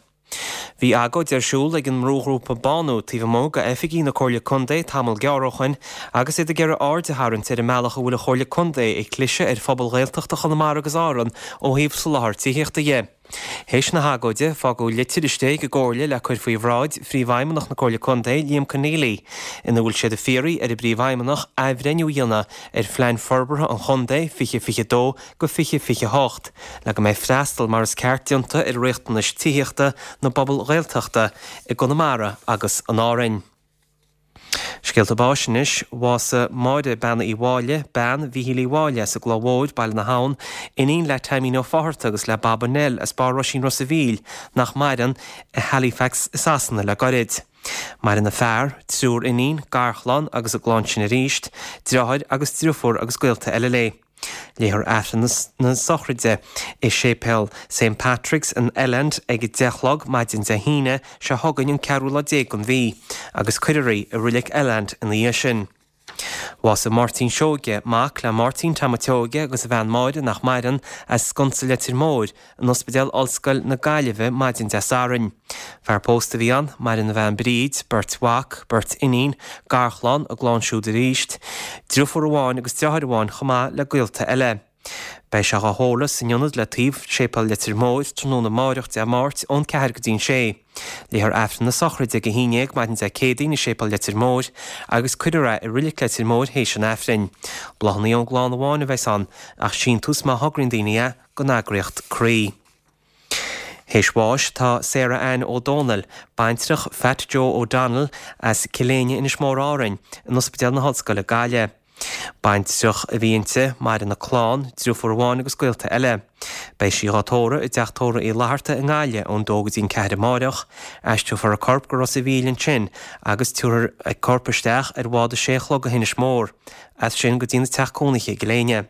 Bhí agóid ar siúl ag an mbrúghrúpa Bánú taobh amuigh de oifigí na Comhairle Contae tamall gearr ó shoin agus iad ag iarraidh aird a tharraingt ar an mbealach a bhfuil an Chomhairle Contae ag cliseadh ar phobal Ghaeltachta Chonamara agus Árann ó thaobh soláthar tithíochta dhe. Théis na hagóide, fágadh litir istigh ag an gComhairle le cur faoi bhráid Phríomhfheidhmeannach na Comhairle Contae, Liam Conneely, ina bhfuil siad ag fiafraí ar an bPríomhfheidhmeannach athbhreithniú a dhéanamh ar Phlean Forbartha an Chontae fiche fiche dó go fiche fiche hocht le go mbeidh freastal mar is ceart déanta ar riachtanais tithíochta na bpobal Ghaeltachta i gConamara agus in Árainn. Scéalta báis anois, Bhásaigh Máire Bean Uí Mháille, bean Mhíchíl Uí Mháille as an gCloich Mhóir, Baile na hAbhann, iníon le Taimín Ó Fátharta agus le Baba Nell as Barr Roisín Ros a' Mhíl, nach maireann, i Halifax i Sasana le gairid. Maireann a fear, triúr iníon, garchlann agus a gclann sin arís, deartháir agus driofúr agus gaolta eile léi. Léifear Aifreann na sochraide i Séipéal Saint Patrick's in Elland ag a deich a chlog maidin Dé hAoine seo chugainn an ceathrú lá déag den mhí agus cuirfear í i Reilig Elland ina dhiaidh sin. Bhásaigh Máirtín Seoige, mac le Máirtín Tom a' tSeoige agus a bhean Máire nach maireann, as Sconsa Leitir Móir, in Ospidéal Ollscoil na Gaillimhe maidin Dé Sathairn. Fear pósta a bhí ann, maireann a bhean Bríd, beirt mhac, beirt iníon, garchlann, a gclann siúd arís, driofúr amháin agus deartháir amháin chomh maith le gaolta eile. Beidh sé dhá thórramh san ionad le taobh Séipéal Leitir Móir tráthnóna amáireach Dé Máirt ón ceathair go dtí'n sé. Léifear Aifreann na sochraide ag a haon déag maidin Dé Céadaoin i Séipéal Leitir Móir agus cuirfear é i Reilig Leitir Móir théis an Aifrinn. Bláthanna ón gclann amháin a bheas ann ach síntiús má thograíonn daoine é don eagraíocht Croí. Théis bháis tá Sarah Ann O'Donnell, baintreach Fat Joe O'Donnell as Cill Éinne, Inis Mór Árainn, in Ospidéal na hOllscoile Gaillimh. Baintreach a bhí inti, maireann a clann, driofúr amháin agus gaolta eile. Beidh sí dhá tórramh i dTeach Tórraimh Uí Fhlatharta i nGaillimh ón dó go dtí an ceathair amáireach. Aistreofar a corp go Ros a' Mhíl ansin agus tabharfar a corp isteach ar bhád a sé a chlog go hInis Mór. As sin go dtína teach cónaithe i gCill Éinne.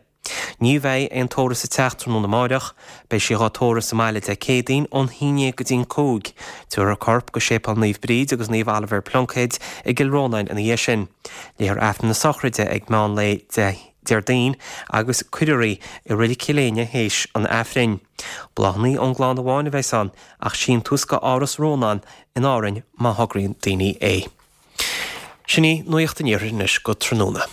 Ní bheidh aon tórramh sa teach tráthnóna amáireach. Beidh sí dhá tórramh sa mbaile Dé Céadaoin ón haon déag go dtí an cúig. Tabharfar a corp go Séipéal Naomh Bríd agus Naomh Oilibhéar Pluincéid i gCill Rónáin ina dhiaidh sin. Léifear Aifreann na sochraide ag meán lae Déardaoin agus cuirfear í i Reilig Chill Éinne théis an Aifrinn. Bláthanna ón gclann amháin a bheas ann ach síntiús go Áras Rónáin in Árainn má thograíonn daoine é. Sin í Nuacht an Iarthair anois go tráthnóna.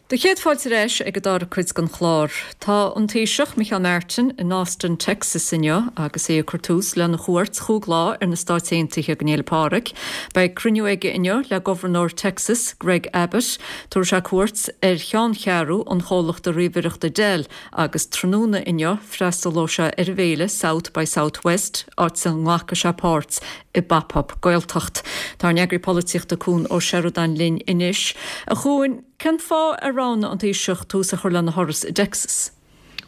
Do chéad fáilte ar ais ag an dara cuid den chlár. Tá an Taoiseach Micheál Martin in Austin, Texas inniu agus é ag cur tús lena chuairt chúig lá ar na Stáit Aontaithe don Fhéile Pádraig. Beidh cruinniú aige inniu le Gobharnóir Texas, Greg Abbott. Tabharfaidh sé cuairt ar cheanncheathrú an chomhlachta ríomhaireachta Dell agus tráthnóna inniu freastalóidh sé ar an bhféile South by Southwest, áit a nglacfaidh sé páirt i bPop-Up Gaeltacht. Tá ár n-eagraí polaitíochta Cuan Ó Seireadáin linn anois. A Chuain, cén fáth ar roghnaigh an Taoiseach tús a chur lena thuras i dTexas?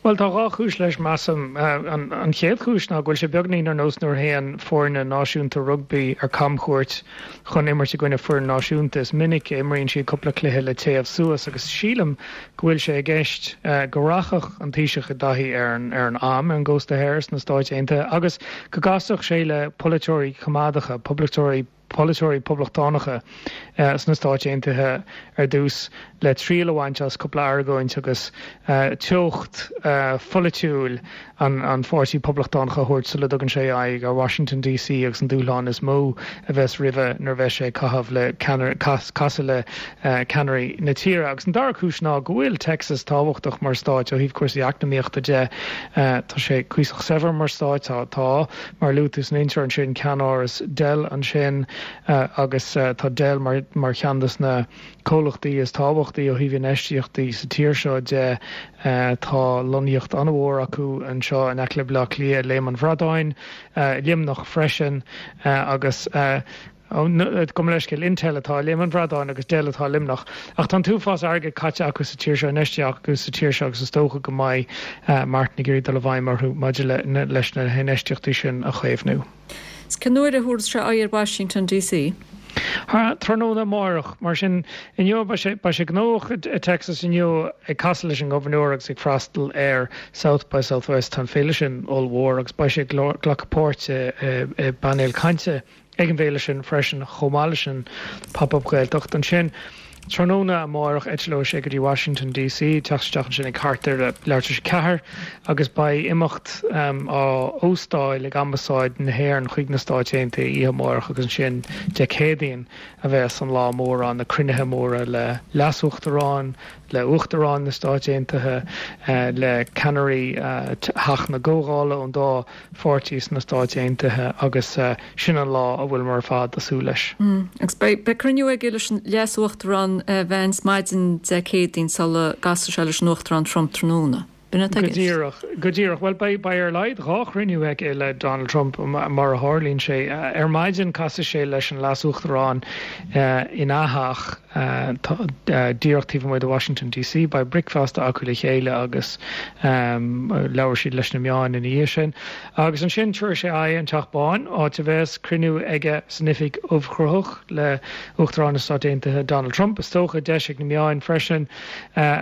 Bhuel, tá dhá chúis leis, measaim. An chéad chúis ná go bhfuil sé beagnín ar nós nuair a théann foirne náisiúnta rugbaí ar camchuairt chun imirt i gcoinne foireann náisiúnta. Is minic a imríonn siad cúpla cluiche le téamh suas agus sílim go bhfuil sé i gceist go rachadh an Taoiseach i dtaithí ar an ar an am ar an gcósta thoir sna Stáit Aontaithe agus go gcasfadh sé le polaiteoirí coimeádacha, poblachtóirí polaiteoirí poblachtánacha sna Stáit Aontaithe ar dtús le triail a bhaint as cúpla argóint agus teocht pholaitiúil an Pháirtí Poblachtánach a thabhairt sula dtugann sé aghaidh ar Washington DC agus an dúshlán is mó a bheas roimhe nuair a bheas sé ag caitheamh le casadh le ceannairí na tíre. Agus an dara cúis ná go bhfuil Texas tábhachtach mar stát ó thaobh cúrsaí eacnamaíochta de. Tá sé cuíosach saibhir mar stát, tá, mar a luaigh tú san intro ansin, ceannáras Dell ansin agus tá Dell mar mar cheann de na comhlachtaí is tábhachtaí ó thaobh infheistíochtaí sa tír seo de. Tá lonnaíocht an-mhór acu anseo in aice le Baile Átha Cliath, i Léim an Bhradáin, Luimneach freisin agus gabh mo leithscéal, Intel atá i Léim an Bhradáin agus Dell atá i Luimneach. Ach tá an t-uafás airgid caite acu sa tír seo, infheistithe acu sa tír seo agus is dócha go mbeidh Martin ag iarraidh dul i bhfeidhm orthu maidir leis na hinfheistíochtaí sin a chaomhnú. Cén uair a thabharfas sé aghaidh ar Washington DC? Tráthnóna amárach. Mar sin, inniu, beidh sé, beidh sé gnóthach i Texas inniu ag casadh leis an ngobharnóir agus ag freastal ar South by Southwest. Tá an féile sin ollmhór agus beidh sé ag glacadh páirt i bpainéal cainte ag an bhféile sin freisin chomh maith leis an Pop-Up Gaeltacht. Ansin, tráthnóna amárach eitleoidh sé go dtí Washington DC, teacht isteach ansin ag thart ar leathuair tar éis a ceathair agus beidh imeacht á óstáil ag Ambasáid na hÉireann chuig na Stáit Aontaithe oíche amárach agus ansin Dé Céadaoin a bheas an lá mór ann, na cruinnithe móra le Leas-Uachtarán, le Uachtarán na Stáit Aontaithe, le ceannairí Theach na gComhdhála ón dá pháirtí sna Stáit Aontaithe agus sin an lá a bhfuileamar ar fad ag súil leis. Agus beidh cruinniú aige leis an Leas-Uachtarán Vance maidin Dé Céadaoin sula gcasfaidh sé leis an Uachtarán Trump tráthnóna. B'in atá i Go gceist. díreach, go díreach. Bhuel, beidh, beidh ar a laghad dhá chruinniú aige le Donald Trump, mar a tharlaíonn sé. Ar maidin casfaidh sé leis an Leas-Uachtarán ina theach díreach taobh amuigh de Washington DC. Beidh bricfeasta acu le chéile agus labhróidh siad leis na meáin ina dhiaidh sin. Agus ansin tabharfaidh sé aghaidh an Teach Bán, áit a bheas cruinniú aige san Oifig Ubhchruthach le Uachtarán na Stát Aontaithe Donald Trump. Is dócha deis ag na meáin freisin,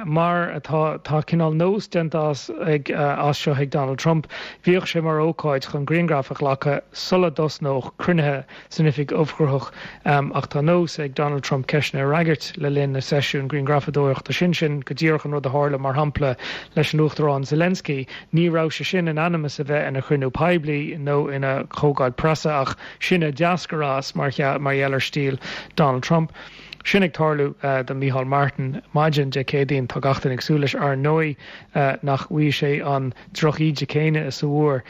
mar atá tá cineál nós déanta as ag as seo ag Donald Trump. Bhíodh sé mar ócáid chun grianghraif a ghlacadh sula dtosnódh cruinnithe san Oifig Ubhchruthach ach tá nós ag Donald Trump ceisteanna a fhreagairt le linn na seisiún grianghrafadóireachta sin. Sin go díreach an rud a tharla, mar shampla, leis an Uachtarán Zelensky. Ní raibh sé sin in ainm is a bheith ina chruinniú poiblí nó ina chomhdháil preasa ach sin a d'eascair as mar gheall ar stíl Donald Trump. sin ag tarlú do Micheál Martin maidin Dé Céadaoin tá gach duine ag súil leis ar ndóigh nach bhfaighidh sé an drochíde céanna is a bhfuair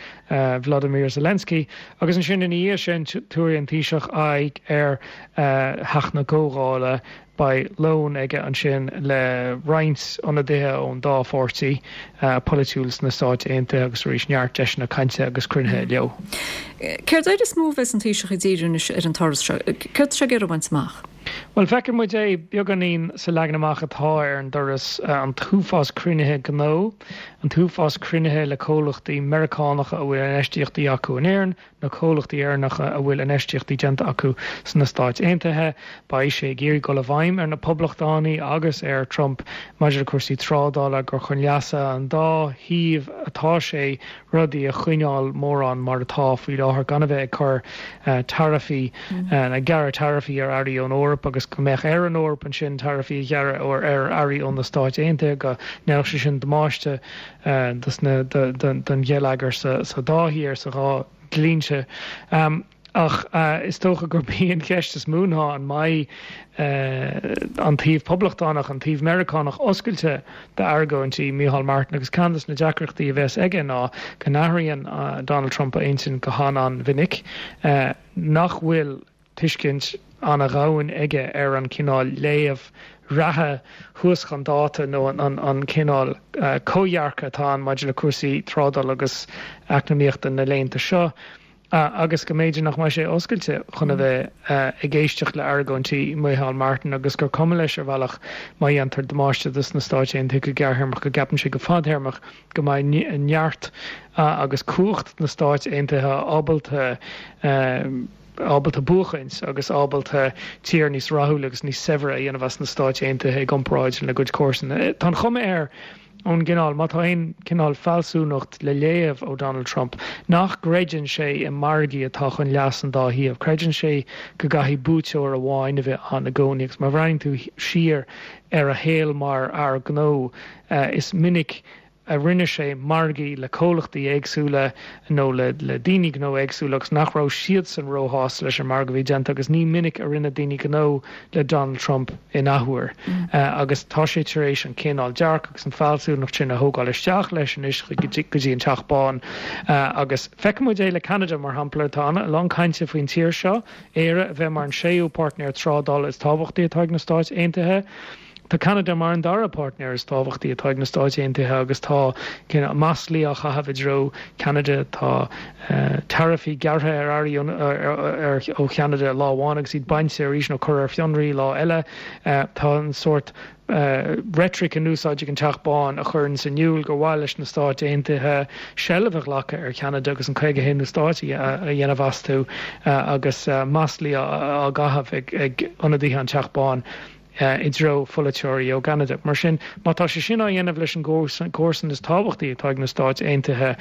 Vladimir Zelensky agus ansin ina dhiaidh sin tabharfaidh an Taoiseach aghaidh ar Theach na Comhdhála Beidh lón aige ansin le roinnt ionadaithe ón dá pháirtí polaitiúil sna Stáit Aontaithe agus arís neart deiseanna cainte agus cruinnithe leo. Céard air is mó a bheas an Taoiseach ag díriú anois ar an turas seo? Céard atá sé ag iarraidh a bhaint amach? Bhuel, feiceann muid é beagáinín sa leagan amach atá ar an dturas, an t-uafás cruinnithe gnó, an t-uafás cruinnithe le comhlachtaí Meiriceánacha a bhfuil infheistíochtaí acu in Éirinn, na comhlachtaí Éireannacha a bhfuil infheistíochtaí déanta acu sna Stáit Aontaithe. Beidh sé ag iarraidh dul i bhfeidhm ar na Poblachtánaigh agus ar Trump maidir le cúrsaí trádála gur chun leasa an dá thaobh atá sé rudaí a choinneáil mórán mar atá faoi láthair gan a bheith ag cur taraifí, ag gearradh taraifí ar earraí ón Eoraip agus go mbeadh ar an Eoraip ansin taraifí a ghearradh ar earraí ó na Stáit Aontaithe go ndéanfadh sé sin damáiste don gheilleagar sa dá thír, sa dhá dlínse. Ach is dócha gurb í an cheist is mó ná an mbeidh an taobh poblachtánach, an taobh Meiriceánach oscailte d'argóintí Micheál Martin agus ceann de na deacrachtaí a bheas aige ná go n-athraíonn Donald Trump a intinn go han-an-mhinic, nach bhfuil tuiscint an-dhomhain aige ar an chineál léamh reatha thuas chun dáta nó an cineál comhdhearcadh atá ann maidir le cúrsaí trádála agus eacnamaíochta na laethanta seo agus go mb'fhéidir nach mbeidh sé oscailte chun a bheith ag éisteacht le argóintí Micheál Martin agus gur cuma leis ar bhealach má dhéantar damáiste dos na Stáit Aontaithe go gearrthéarmach go gceapann sé go fadthéarmach go mbeidh neart agus cumhacht na Stáit Aontaithe ábalta ábalta buachaint agus ábalta tír níos rathúla agus níos saibhre a dhéanamh as na Stáit Aontaithe i gcomparáid lena gcuid comharsan. Tá an chuma air ón gcineál, má tá aon chineál fealsúnacht le léamh ó Donald Trump, nach gcreideann sé i margaí atá chun leas an dá thaobh. Creideann sé go gcaithfidh buaiteoir amháin a bheith ann i gcónaí agus má bhreathnaíonn tú siar ar a shaol mar fhear gnó, is minic a rinne sé margaí le comhlachtaí éagsúla nó le le daoine gnó éagsúla agus nach raibh siadsan róshásta leis an margadh a bhí déanta agus ní minic a rinne daoine gnó le Donald Trump in athuair. Agus tá sé tar éis an cineál dearcadh agus an fealsúnacht sin a thógáil isteach leis anois go dtí an Teach Bán. Agus feicfidh muid é le Ceanada mar shampla, tá a lán cainte faoin tír seo, Éire, a bheith mar an séú páirtnéir trádála is tábhachtaí atá ag na Stáit Aontaithe. Tá Ceanada mar an dara páirtnéir is tábhachtaí atá ag na Stáit Aontaithe agus tá maslaí á chaitheamh i dtreo Ceanada. Tá taraifí gearrtha ar earraí ó Cheanada lá amháin agus iad bainte arís nó curtha ar fionraí lá eile. Tá an sórt reitric in úsáid ag an Teach Bán a chuireann in iúl gur mhaith leis na Stáit Aontaithe seilbh a ghlacadh ar Cheanada agus an caoga haonú stát a dhéanamh astu agus maslaí á gcaitheamh ag ionadaithe an Teach Bán. i dtreo pholaiteoirí ó gCeanada. Mar sin, má tá sé sin á dhéanamh leis an gcomharsan is tábhachtaí atá ag na Stáit Aontaithe,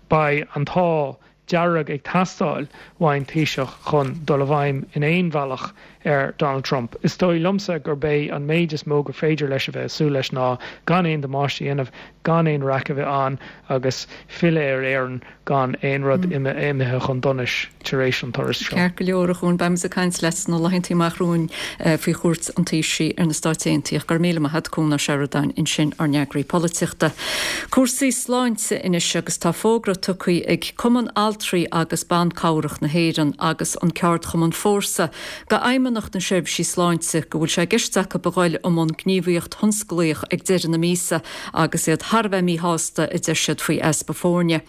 beidh an t-ádh dearg ag teastáil uaidh an Taoiseach chun dul i bhfeidhm in aon bhealach ar Donald Trump. Is dóigh liomsa gurb é an méid is mó gur féidir leis a bheith ag súil leis ná gan aon damáiste a dhéanamh, gan aon raic a bheith ann agus filleadh ar Éirinn gan aon rud imithe chun donais tar éis an turais seo. Ceart go leor, a Chuain, beimid ag caint leat sna laethanta amach romhainn faoi chuairt an Taoisigh ar na Stáit Aontaithe. Go raibh míle maith agat, Cuan Ó Seireadáin, ansin, ár n-eagraí polaitíochta. Cúrsaí sláinte anois agus tá fógra tugtha ag Cumann Altraí agus Ban Cabhrach na hÉireann agus an ceardchumann Fórsa go Fheidhmeannacht na Seirbhísí Sláinte go bhfuil sé i gceist acu a ghoil i mbun gníomhaíocht thionsclaíoch ag deireadh na míosa agus iad thar a bheith míshásta a deir siad faoi easpa foirne.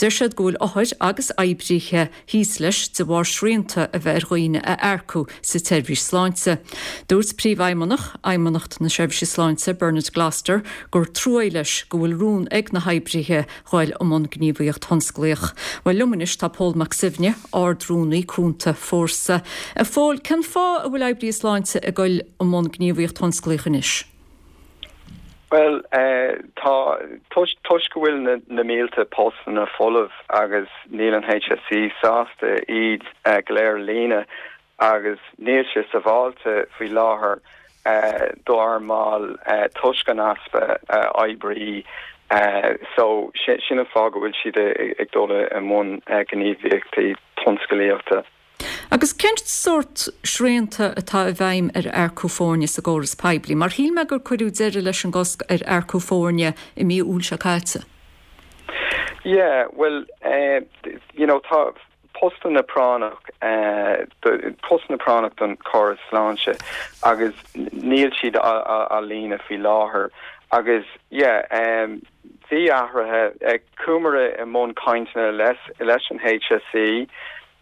Deir siad go bhfuil othair agus oibrithe thíos leis de bharr srianta a bheith ar dhaoine a earcú sa tseirbhís sláinte. Dúirt Príomhfheidhmeannach Fheidhmeannacht na Seirbhíse Sláinte, Bernard Gloster, gur trua leis go bhfuil rún ag na hoibrithe ghoil i mbun gníomhaíocht thionsclaíoch. Bhuel liom anois tá Pól Mac Suibhne, Ard-Rúnaí Cúnta Fórsa. A Phóil, cén fáth a bhfuil oibrithe sláinte ag goil i mbun gníomhaíocht thionsclaíoch anois? Bhuel, tá, toisc go bhfuil na mílte postanna folamh agus níl an HSE sásta iad go léir a líonadh agus níl sé sábháilte faoi láthair dár mbaill toisc an easpa oibrí so sin an fáth go bhfuil siad ag dul i mbun gníomhaíochtaí tionsclaíochta. Agus cén sórt srianta atá i bhfeidhm ar earcú foirne sa gcóras poiblí? Mar shíl mé gur cuireadh deireadh leis an gcosc ar earcú foirne i mí Iúil seo caite. Yeah, well, uh, you know, tá postanna práinneach uh, postanna práinneach don chóras sláinte agus níl siad á líonadh faoi láthair agus yeah, um, bhí athruithe ag chuamar i mbun cainteanna leis leis an HSE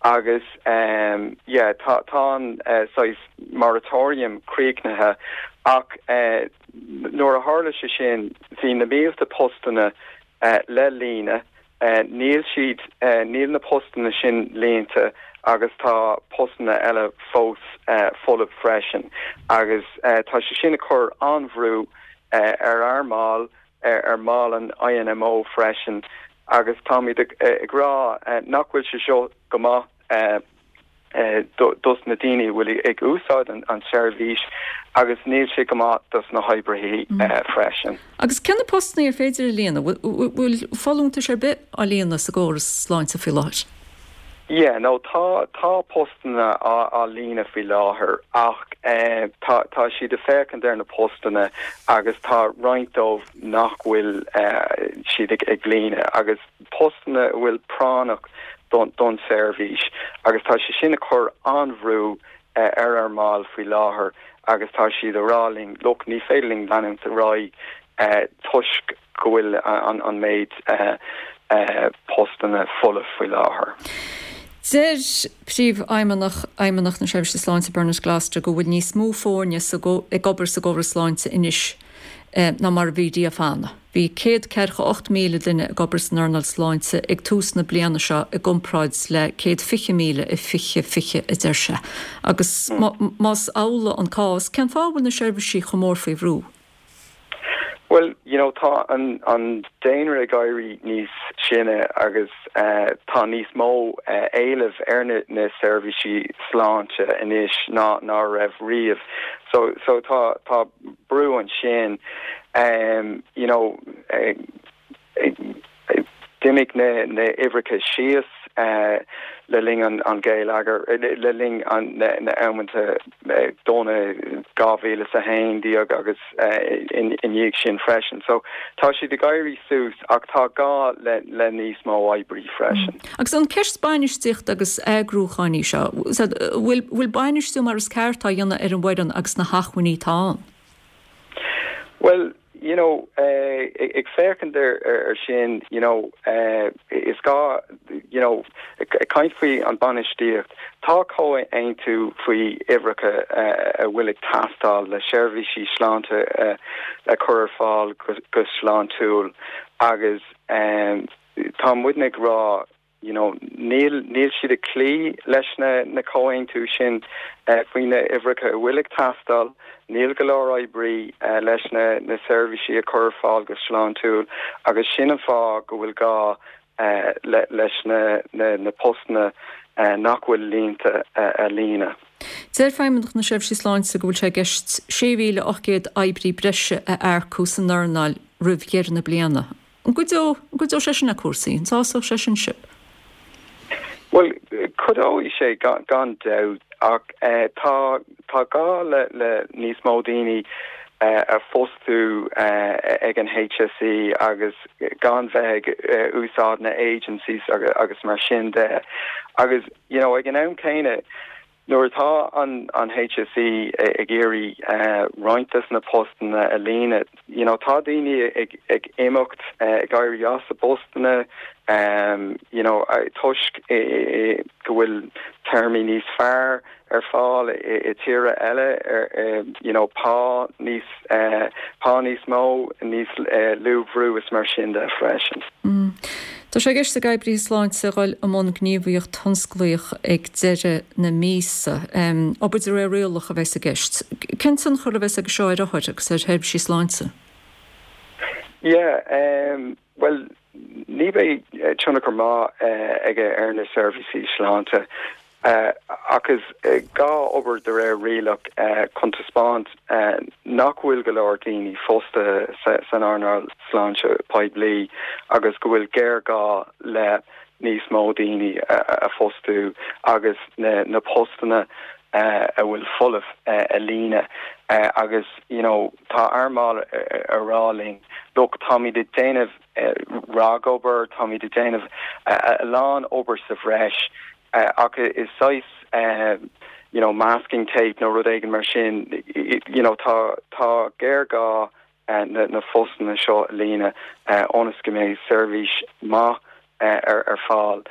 agus um, yeah, tá tá an uh, saghas moratorium críochnaithe ach uh, nuair a tharla sé sin bhí na mílte postanna uh, le líonadh uh, níl siad uh, níl na postanna sin líonta agus tá postanna eile fós uh, folamh freisin agus uh, tá sé sin ag cur an-bhrú uh, ar ár mbaill ar, ar mbaill an INMO freisin agus táimid ag, ag rá uh, nach bhfuil sé seo go maith uh, uh, dos na daoine bhfuil ag úsáid an, an seirbhís agus níl sé go maith dos na hoibrithe mm. uh, freisin. Agus cé na postanna ar féidir a líonadh, bhfuil folúntais ar bith á líonadh sa gcóras sláinte faoi láthair? Yeah, no tá tá postanna á, á líonadh faoi láthair ach eh, tá tá siad ag féachaint ar na postanna agus tá roinnt dóibh nach bhfuil eh, siad ag, ag líonadh agus postanna bhfuil práinneach don don seirbhís agus tá sé sin ag cur an-bhrú eh, ar ár mbaill faoi láthair agus tá siad ag rá linn look ní féidir linn leanúint ar aghaidh eh, toisc go bhfuil an, an méid eh, eh, postanna folamh faoi láthair. Deir príomhfheidhmeannach Fheidhmeannacht na Seirbhíse Sláinte Bernard Gloster go bhfuil níos mó foirne ag obair sa gcóras sláinte anois eh, ná mar a bhí riamh cheana. Bhí céad ceathracha ocht míle duine ag obair san earnáil sláinte ag tús na bliana seo i gcomparáid le céad fiche míle i fiche fiche a deir sé. Agus más amhlaidh an cás, cén fáth a bhfuil na seirbhísí chomh mór faoi bhrú? Well, you know, tá an an daonra ag éirí níos sine agus uh, tá níos mó uh, éileamh ar na, na seirbhísí sláinte anois ná ná raibh riamh. So so tá tá brú ansin um, you know, uh, uh, d'imigh na na uimhreacha síos uh, le linn an, an géilleagar le linn an na, na amanta uh, dona dhá mhíle a haon déag agus uh, in, in dhiaidh sin freisin. So tá siad ag éirí suas ach tá gá le, le níos mó oibrí freisin. Mm. Agus an ceist bainistíocht agus eagrúcháin í seo, bhfuil bhfuil bainistiú mar is ceart á dhéanamh ar an bhfoireann agus na hacmhainní atá ann? Well, you know, uh, ag féachaint ar, ar, ar sin, you know, uh, is gá, you know, ag caint faoi an bainistíocht, tá comhaontú faoi uimhreacha uh, a bhfuil ag teastáil le seirbhísí sláinte uh, a chur ar fáil go, go sláintiúil agus um, tá muidne ag rá you know, níl níl siad ag cloí leis na na comhaontú sin uh, faoi na uimhreacha a bhfuil ag teastáil, níl go leor oibrí uh, leis na na seirbhísí a chur ar fáil go sláintiúil agus sin an fáth go bhfuil gá uh, le, leis na na, na postanna uh, nach bhfuil líonta uh, a líonadh. Deir Feidhmeannacht na Seirbhísí Sláinte go bhfuil sé i gceist sé mhíle ocht gcéad oibrí breise a earcú san earnáil roimh dheireadh na bliana. An gcuideoidh an gcuideoidh sé sin le cúrsaí, an sásódh sé sin sibh? Well, cuideoidh sé gan, gan dabht ach uh, tá tá gá le, le níos mó daoine uh, a fostú uh, ag an HSE agus gan bheith ag uh, úsáid na agencies agus, agus mar sin de. Agus you know, ag an am céanna nuair atá an an HSE ag iarraidh uh, roinnt des na postanna a líonadh you know, tá daoine ag, ag imeacht uh, ag éirí as a bpostanna um, you know, toisc go bhfuil téarmaí níos fearr ar fáil i, i tíortha eile ar uh, you know, pá níos uh, pá níos mó níos uh, lú brú is mar sin de freisin. Mm. Tá sé i gceist ag oibrithe sláinte dul i mbun gníomhaíocht thionsclaíoch ag deireadh na míosa. Um, obair de réir rialach a bheas i gceist. Cén tionchar a bheas aige seo ar othair agus ar sheirbhísí sláinte? Yeah, um, well, ní bheidh tionchar maith uh, aige ar na seirbhísí sláinte. Uh, agus uh, gá obair de réir rialach uh, chun taispeáint uh, nach bhfuil go leor daoine fostaithe sa, san earnáil sláinte poiblí agus go bhfuil géarghá le níos mó daoine a phostú agus na na postanna a bhfuil folamh a líonadh agus you know tá earnáil ag rá linn look táimid ag déanamh ragobair táimid ag déanamh a lán obair sa bhreis ach is saghas you know masking tape nó rud éigin mar sin you know tá tá géarghá na na postanna seo a líonadh ionas go mbeidh seirbhís maith ar ar fáil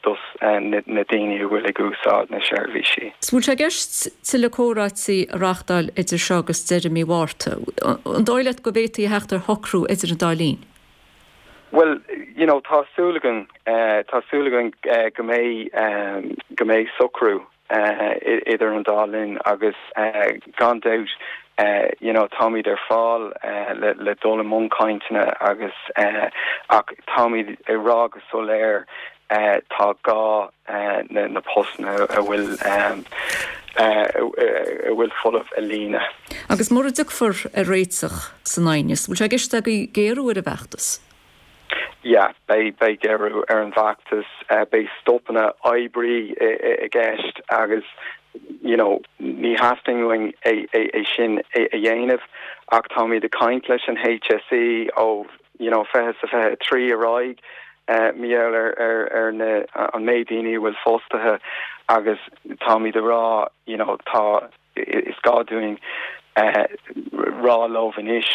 dos na daoine a bhfuil ag úsáid na seirbhísí. Is bhfuil sé i gceist tuilleadh comhráití a reáchtáil idir seo agus deireadh mí Mhárta. An dóigh leat go bhféadfaí a theacht ar shocrú idir an dá linn? Well, you know, tá súil againn tá súil againn go mbeidh go mbeidh socrú idir an dá linn agus gan dabht you know táimid ar fáil le le dul i mbun cainteanna agus ach táimid ag rá go soiléir tá gá na na postanna a bhfuil a bhfuil folamh a líonadh. Agus mura dtiocfar ar réiteach san aighneas, bhfuil sé i gceist agaibh géarú ar an bhfeachtas? Yeah, beidh beidh géarú ar an bhfeachtas, beidh stopanna oibre i gceist agus you know ní theastaíonn uainn é é sin a dhéanamh ach táimid ag caint leis an HSE ó you know fiche sa fiche a trí ar aghaidh mar gheall ar ar ar na an méid daoine a bhfuil fostaithe agus táimid ag rá you know tá is gá dúinn rá leo anois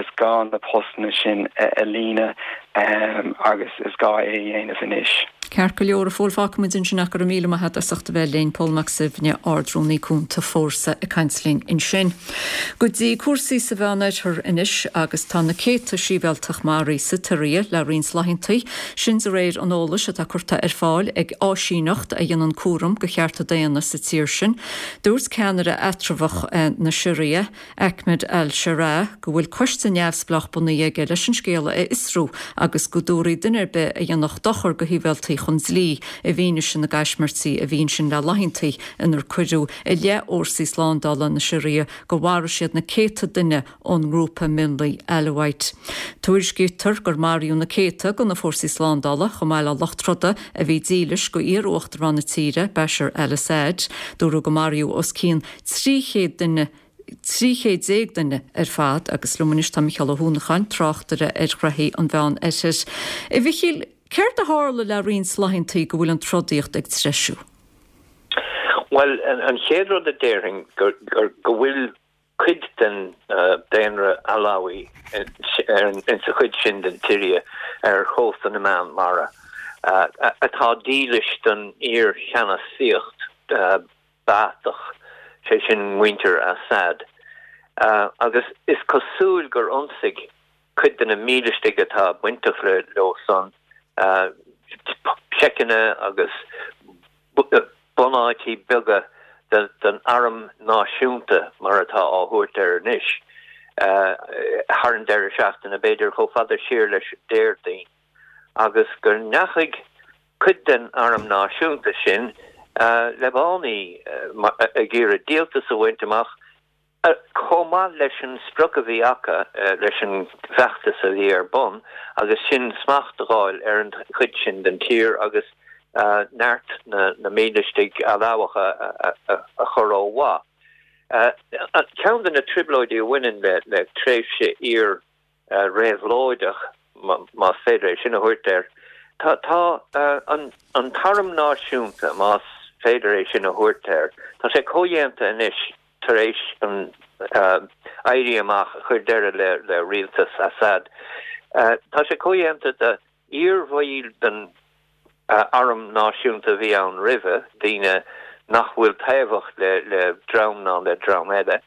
is gá na postanna sin a líonadh agus is gá é a dhéanamh anois. Ceart go leor, a Phóil, fágfaimid ansin ach go raibh míle maith agat as ucht a bheith linn, Pól Mac Suibhne, Ard-Rúnaí Cúnta Fórsa ag caint linn ansin. Go dtí cúrsaí sa Mheánoirthear anois agus tá na céadta sibhialtach maraithe sa tSiria le roinnt laethanta, sin de réir an eolais atá curtha ar fáil ag áisíneacht a dhéanann cúram do chearta daonna sa tír sin. Dúirt ceannaire eatramhach na Siria, Ahmed al-Sharaa, go bhfuil coiste neamhspleách bunaithe aige leis an scéal a fhiosrú agus go dtabharfaí duine ar bith a dhéanfadh dochar do shibhialtaigh chun dlí i bhfianaise na gcaismirtí a bhí ansin le laethanta inar cuireadh i leith fhórsaí slándála na Siria go mharaigh siad na céadta duine ón ngrúpa mionlaigh Alawite. Tuairiscítear gur maraíodh na céadta de na fórsaí slándála, chomh maith le lucht troda a bhí dílis go iar-uachtarán na tíre, Bashar al-Assad. Dúradh go maraíodh os cionn trí chéad duine trí chéad déag duine ar fad agus liom anois tá Micheál Ó hUanacháin, tráchtaire ar ghnoithí an Mheánoirthir. A Mhichíl, céard a tharla le roinnt laethanta go bhfuil an trodaíocht ag treisiú? Bhuel, an chéad rud a déarfainn gur go bhfuil cuid den daonra Alawi insa chuid sin den tSiria ar chósta na Meánmhara atá dílis don iar-cheannasaíocht Ba'athach, sé sin muintir Assad. Agus is cosúil gur ionsaigh cuid de na mílistigh atá bainteach leo san seiceanna agus bunáití beaga den Arm Náisiúnta, mar atá á thabhairt air anois, thar an deireadh seachtaine, b'fhéidir chomh fada siar leis an Déardaoin, agus go ndeachaigh cuid den Arm Náisiúnta sin le bánaí ag iarraidh díoltas a bhaint amach, chomh maith leis an sprioc a bhí acu leis an bhfeachtas a bhí ar bun, agus sin smacht a fháil ar an chuid sin den tír agus neart na mílistigh Alabhacha a chur ó mhaith. Ceann de na trioblóidí a bhaineann le tréimhse iar-réabhlóideach, más féidir é sin a thabhairt air, tá an tArm Náisiúnta, más féidir é sin a thabhairt air, tá sé comhdhéanta anois tar éis an éirí amach a chuir deireadh le rialtas Assad. Tá sé comhdhéanta de iarbhaill den arm náisiúnta a bhí ann roimhe, daoine nach bhfuil taobhach le dream ná le dream eile,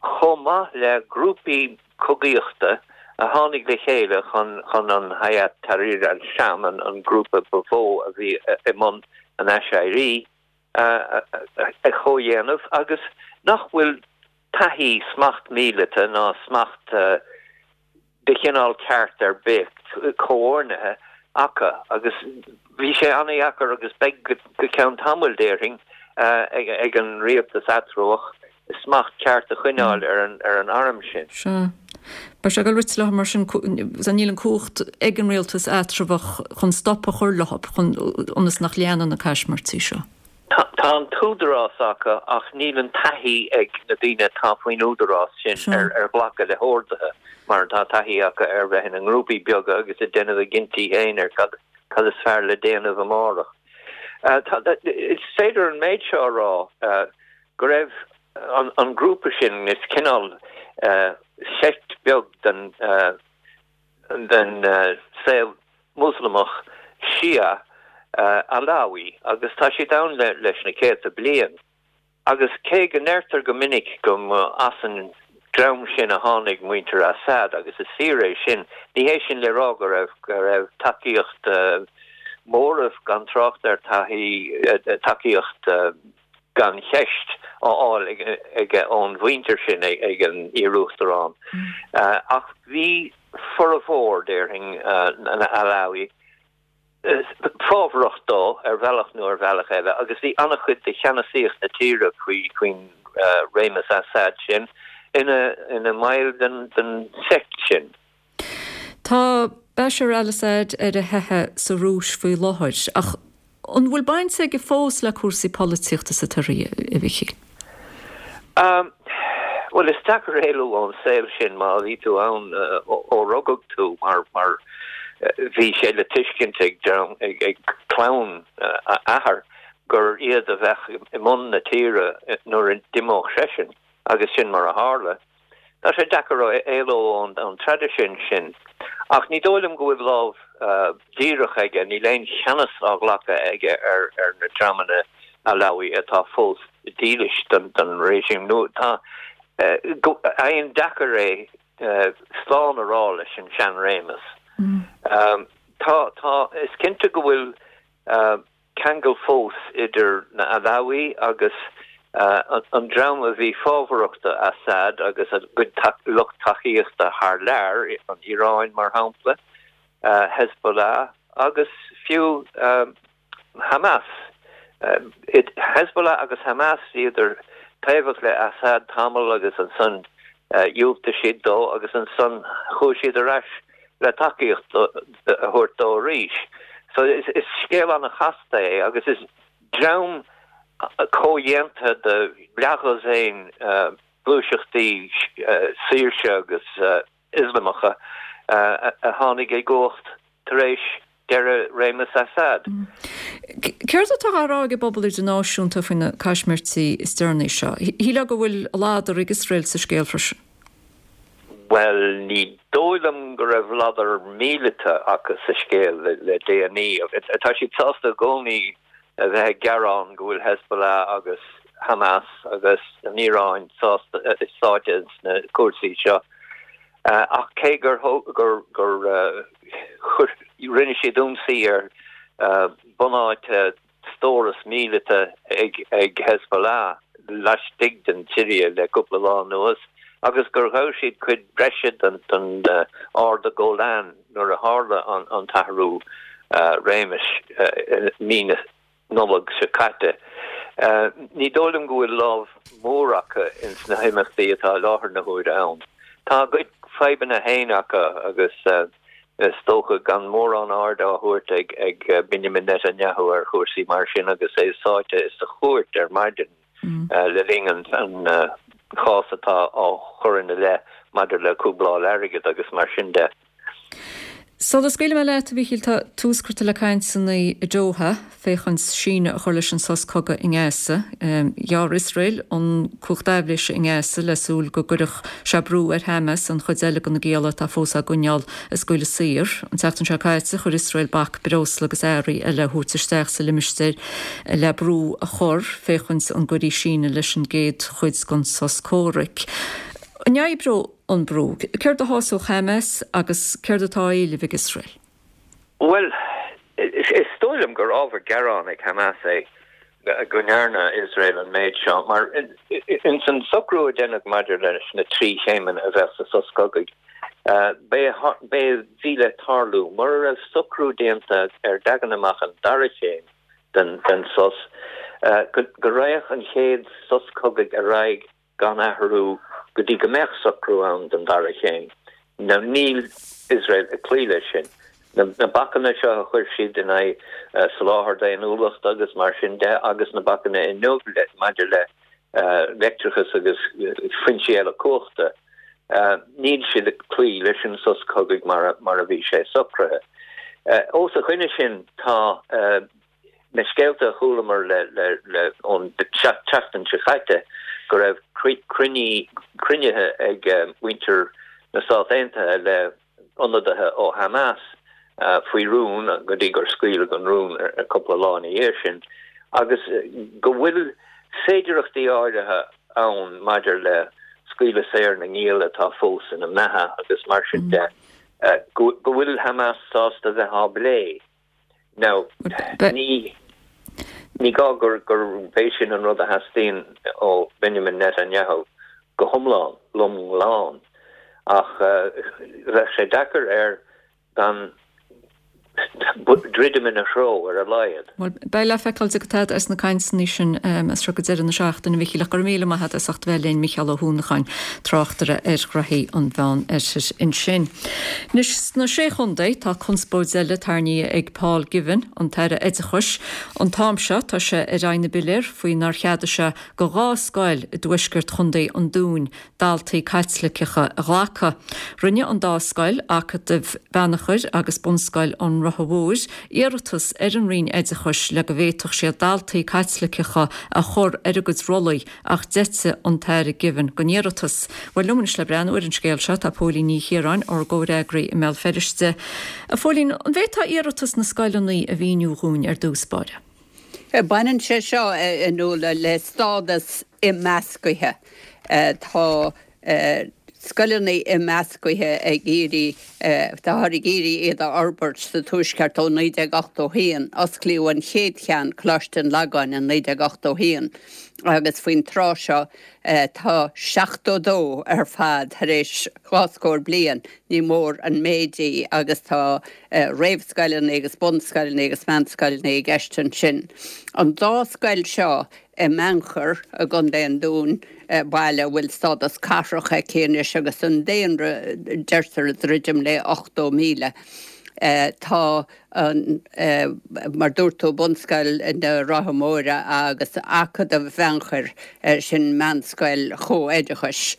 chomh maith le grúpaí cogaíochta a tháinig le chéile chun chun an Hayat Tahrir al-Sham, an grúpa ba mhó a bhí i mbun an aiséirí, a chomhdhéanamh agus nach bhfuil taithí smacht míleata ná smacht de chineál ceart ar bith comhordnaithe acu agus bhí sé an-dheacair agus beidh go ceann tamaill déarfainn ag an rialtas eatramhach smacht ceart a choinneáil ar an ar an arm sin. Sea. Beidh sé ag dul rite leo mar sin, níl an cumhacht ag an rialtas eatramhach chun stop a chur leo, chun ionas nach leanann na caismirtí seo. Tá an t-údarás acu ach níl an taithí ag na daoine atá faoin údarás sin ar ar ghlacadh le horduithe mar atá taithí acu ar bheith ina ngrúpaí beaga agus ag déanamh a gcinntí féin ar cad cad is fearr le déanamh amárach. Is féidir an méid seo a rá go raibh an an grúpa sin is cineál seict beag den den saol Muslamach Shia Alawi agus tá siad ann leis na céadta bliain. Agus cé go ndeirtear go minic go mba as an dream sin a tháinig muintir Assad, agus is fíor é sin, ní hé sin le rá go raibh go raibh tacaíocht móramh gan trácht ar taithí tacaíocht gan cheist á fháil aige ón mhuintir sin ag an iaruachtarán. Ach bhí formhór, déarfainn, na Alawi fábharach dó ar bhealach nó ar bhealach eile agus bhí an-chuid de cheannasaíocht na tíre faoin réimeas Assad sin ina mbaill den seict sin. Tá Bashar al-Assad ar a theitheadh sa Rúis faoi láthair, ach an bhfuil baint aige fós le cúrsaí polaitíochta sa tSiria, a Mhichíl? Bhuel, is deacair éalú ón saol sin má bhí tú ann ó rugadh tú, mar mar bhí sé le tuiscint ag dream, ag clann a athar gur iad a bheadh i mbun na tíre nuair a d'imeodh seisean, agus sin mar a tharla. Tá sé deacair éalú ón traidisiún sin, ach ní dóigh liom go bhfuil lámh dhíreach aige, níl aon cheannas á ghlacadh aige ar na dreamanna Alawi atá fós dílis don réisim. Nó tá aon deacair é slán a rá leis an seanréimeas. Tá, tá, is cinnte go bhfuil ceangal fós idir na Alawi agus an dream a bhí fábharach do Assad agus a gcuid lucht tacaíochta thar lear, an Iaráin mar shampla, Hezbollah agus fiú Hamas. Hezbollah agus Hamas, bhíodar taobhach le Assad tamall agus ansan dhiúltaigh siad dó agus ansan chuaigh siad ar ais le tacaíocht a thabhairt dó arís. So is scéal an-chasta é agus is dream comhdhéanta de leathdhosaen gluaiseachtaí saoirse agus Ioslamacha a tháinig i gcumhacht tar éis deireadh réimeas Assad. Céard atá á rá ag an bpobal idirnáisiúnta faoi na caismirtí is deireanaí seo? Shílfeá go bhfuil ladar ag Iosrael sa scéal freisin. Bhuel, ní dóigh liom go raibh ladar míleata acu sa scéal le déanaí. Tá siad sásta i gcónaí a bheith ag gearán go bhfuil Hezbollah agus Hamas agus an Iaráin sáite sna cúrsaí seo. Ach cé gur gur rinne siad ionsaí ar bunáite stóras míleata ag Hezbollah laistigh den tSiria le cúpla lá anuas agus gur ghabh siad cuid breise den Arda Golan nuair a tharla an t-athrú réimis i mí na Nollag seo caite. Ní dóigh liom go bhfuil lámh mhór acu ins na himeachtaí atá i láthair na huaire ann. Tá a gcuid fadhbanna féin acu agus is dócha gan mórán aird á thabhairt ag Benjamin Netanyahu ar chúrsaí mar sin agus é sáite sa chúirt ar maidin le linn an chás atá á chur ina leith maidir le cúbláil airgid agus mar sin de. Sula scaoilfidh mé leat, a Mhíchíl, tá tús curtha le cainteanna i Doha féachaint síneadh a chur leis an sos cogaidh i nGaza. Ghearr Iosrael an cumhacht aibhléise i nGaza le súil go gcuirfeadh sé brú ar Hamas an chuid eile de na gialla atá fós á gcoinneáil a scaoileadh saor. An tseachtain seo caite, chuir Iosrael bac breosla agus earraí eile a thabhairt isteach sa limistéar le brú a chur féachaint an gcuirfí síneadh leis an gcéad chuid den sos comhraic. An oibreoidh an brú? Céard a shásódh Hamas agus céard atá á éileamh ag Iosrael? Bhuel, is dóigh liom gur ábhar gearáin ag Hamas é go ndearna Iosrael an méid seo, mar ins an socrú a deineadh maidir leis na trí chéimeanna a bheadh sa sos cogaidh, b'é a bhí le tarlú, mura raibh socrú déanta ar leagan amach an dara chéim den sos, go raghadh an chéad sos cogaidh ar aghaidh gan athrú go go dtí go mbeadh socrú ann don dara chéim. Now níl Iosrael ag cloí leis sin. Na na bacanna seo a chuir siad in aghaidh soláthar daonnúlachta agus mar sin de agus na bacanna inniu le maidir le leictreachas agus foinsí eile cumhachta, níl siad ag cloí leis an sos cogaidh mar mar a bhí sé socraithe. Os a choinne sin tá na scéalta a chualamar le le le ón tseachtain seo caite go raibh cruinnithe ag muintir na Stát Aontaithe le ionadaithe ó Hamas faoi rún go dtí gur scaoileadh an rún cúpla lá ina dhiaidh sin agus go bhfuil féidearthachtaí áirithe ann maidir le scaoileadh saor na ngiall atá fós ina mbeatha agus mar sin de, go bhfuil Hamas sásta bheith á bplé. Now, ní ní gá gur gurb é sin an rud a theastaíonn ó Benjamin Netanyahu go hiomlán, lom lán, ach bheadh sé deacair air gan druidim ina threo ar a laghad. Bhuel, beidh le feiceáil cad atá as na cainteanna sin as seo go deireadh na seachtaine, a Mhichíl, ach go raibh míle maith agat as ucht bheith linn, Micheál Ó hUanacháin, tráchtaire ar ghraithí an Mheán Oirthir ansin. Anois sna Sé Chontae tá conspóid eile tarraingthe ag Paul Givan, an tAire Oideachais. An t-am seo tá sé ar aghaidh na bpiléar faoi nár cheadaigh sé do dhá scoil i dtuaisceart Chontae an Dúin daltaí Caitliceacha a ghlacadh. Rinne an dá scoil, Acadamh Bheannchair agus Bunscoil an Rotha Mhóir, iarratas ar an Roinn Oideachais le go bhféadfadh siad daltaí Caitliceacha a chur ar a gcuid rollaí ach d'eitigh an tAire Givan den iarratas. Bhuel liom anois le breathnú ar an scéal seo tá Póilín Ní Chiaráin, ár gcomhfhreagraí i mBéal Feirste. A Phóilín, an bhféadfá iarratas na scoileanna a mhíniú dhúinn ar dtús báire? Baineann sé seo a Nuala le stádas imeascaithe. Tá scoileanna imeascaithe ag iarraidh, táthar ag iarraidh iad a fhorbairt sa Tuaisceart ó naoi déag ochtó haon. Osclaíodh an chéad cheann, Coláiste an Lagáin, in naoi déag ochtó haon agus faoin tráth seo tá seachtó dó ar fad tar éis dhá scór bliain. Ní mór an méid í agus tá réamhscoileanna agus bunscoileanna agus meánscoileanna i gceist ansin. An dá scoil seo i mBeannchar i gContae an Dúin, baile a bhfuil stádas cathrach aici anois agus an daonra, deirtear, ag druidim le ochtó míle. Tá an, mar dúirt tú, Bunscoil na Rátha Móire agus Acadamh Bheannchair, sin meánscoil chomhoideachais,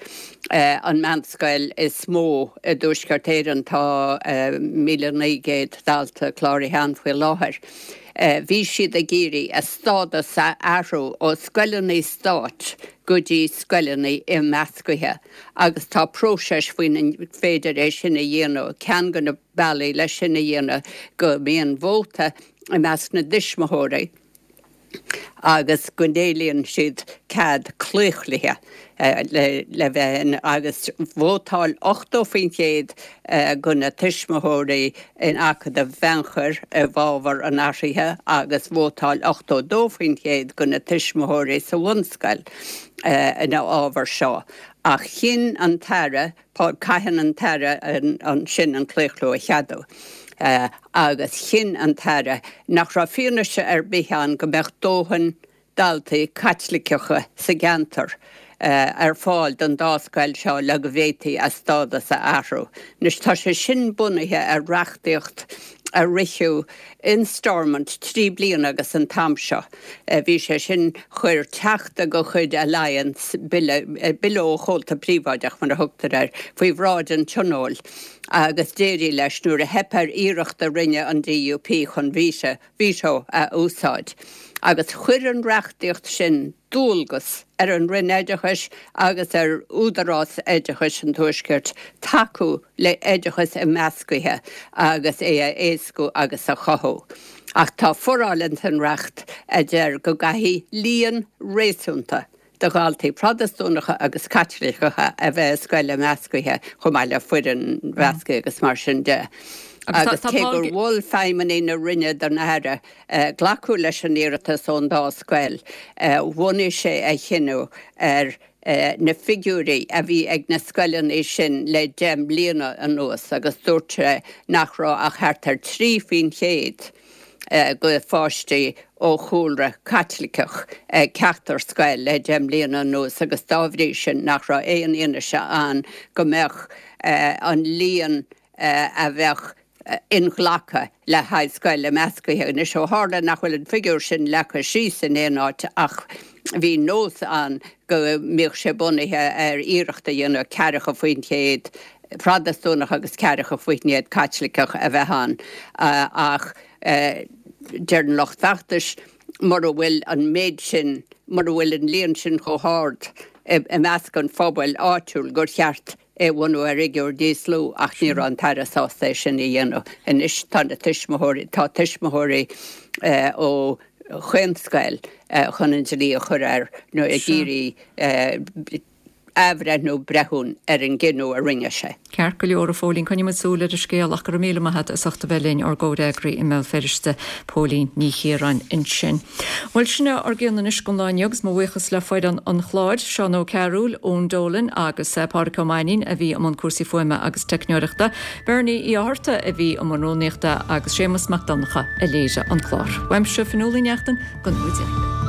an meánscoil is mó i dTuaisceart Éireann, tá míle naoi gcéad dalta cláraithe ann faoi láthair. Bhí siad ag iarraidh a stádas a athrú ó scoileanna stáit go dtí scoileanna imeascaithe agus tá próiseas faoina féidir é sin a dhéanamh. Ceann de na bealaí leis sin a dhéanamh go mbíonn vóta i measc na dtuismitheoirí agus go n-éilíonn siad cead claochlaithe le bheith in agus vótáil ochtó faoin chéad de na tuismitheoirí in Acadamh Bheannchair i bhfabhar an athraithe agus vótáil ochtó dó faoin chéad de na tuismitheoirí sa bhunscoil ina fhabhar seo. Ach chinn an tAire, caitheann an tAire ansin an claochlú a cheadú. Agus chinn an tAire nach raibh fianaise ar bith ann go mbeadh dóthain daltaí Caitliceacha sa gceantar ar fáil don dá scoil seo le go bhféadfaí a stádas a athrú. Anois tá sé sin bunaithe ar reachtaíocht a ritheadh in Stormont trí bliana agus an t-am seo. Bhí sé sin, chuir teachta de chuid Alliance bille, bille ó chomhalta príobháideach mar a thugtar air, faoi bhráid an Tionóil agus d'éirigh leis nuair a theip ar iarracht a rinne an D U P chun veto a úsáid. Agus chuir an reachtaíocht sin dualgas ar an Roinn Oideachais agus ar Údarás Oideachais an Tuaiscirt tacú le hoideachas imeascaithe agus é a éascú agus a chothú. Ach tá foráil ins an reacht a deir go gcaithfidh líon réasúnta de dhaltaí Protastúnacha agus Caitliceacha a bheith i scoil imeascaithe chomh maith le foireann mheasctha agus mar sin de. Agus cé gur mhol feidhmeannaigh na Roinne don Aire glacadh leis an iarratas ón dá scoil, bhunaigh sé a chinneadh ar na figiúirí a bhí ag na scoileanna sin le deich mbliana anuas agus dúirt sé nach raibh ach thart ar trí faoin chéad do pháistí ó chúlra Caitliceach ag ceachtar scoil le deich mbliana anuas agus dá bhrí sin nach raibh aon fhianaise ann go mbeadh an líon a bheadh inghlactha le haghaidh scoil imeascaithe. Anois ó tharla nach bhfuil an figiúr sin leagtha síos in aon áit ach bhí nós ann go mbíodh sé bunaithe ar iarracht a dhéanamh ceathracha faoin chéad Protastúnach agus ceathracha faoin gcéad Caitliceach a bheith ann ach deir an lucht feachtais mura bhfuil an méid sin, mura bhfuil an líon sin chomh hard i measc an phobail áitiúil gur cheart é a bhunú ar fhigiúr níos lú ach ní raibh an tAire sásta é sin a dhéanamh. Anois tá na tuismitheoirí, tá tuismitheoirí ó chaon scoil chun an dlí a chur air nó ag iarraidh athbhreithniú breithiúin ar an gcinneadh a rinne sé. Ceart go leor, a Phóilín, coinneoidh muid súil ar an scéal ach go raibh míle maith agat as ucht a bheith linn, ár gcomhfhreagraí i mBéal Feirste, Póilín Ní Chiaráin ansin. Bhuel, sin é ár gcion anois don lá inniu agus mo bhuíochas le foireann an chláir, Seán Ó Cearúil, Eoin Dolan agus Pádraic Ó Mainnín a bhí i mbun cúrsaí fuaime agus teicneoireachta, Bernie Uí Fhátharta a bhí i mbun rúnaíochta agus Séamus Mac Donncha a léirigh an clár. Uaimse, Fionnuala Uí Neachtain, go nuair.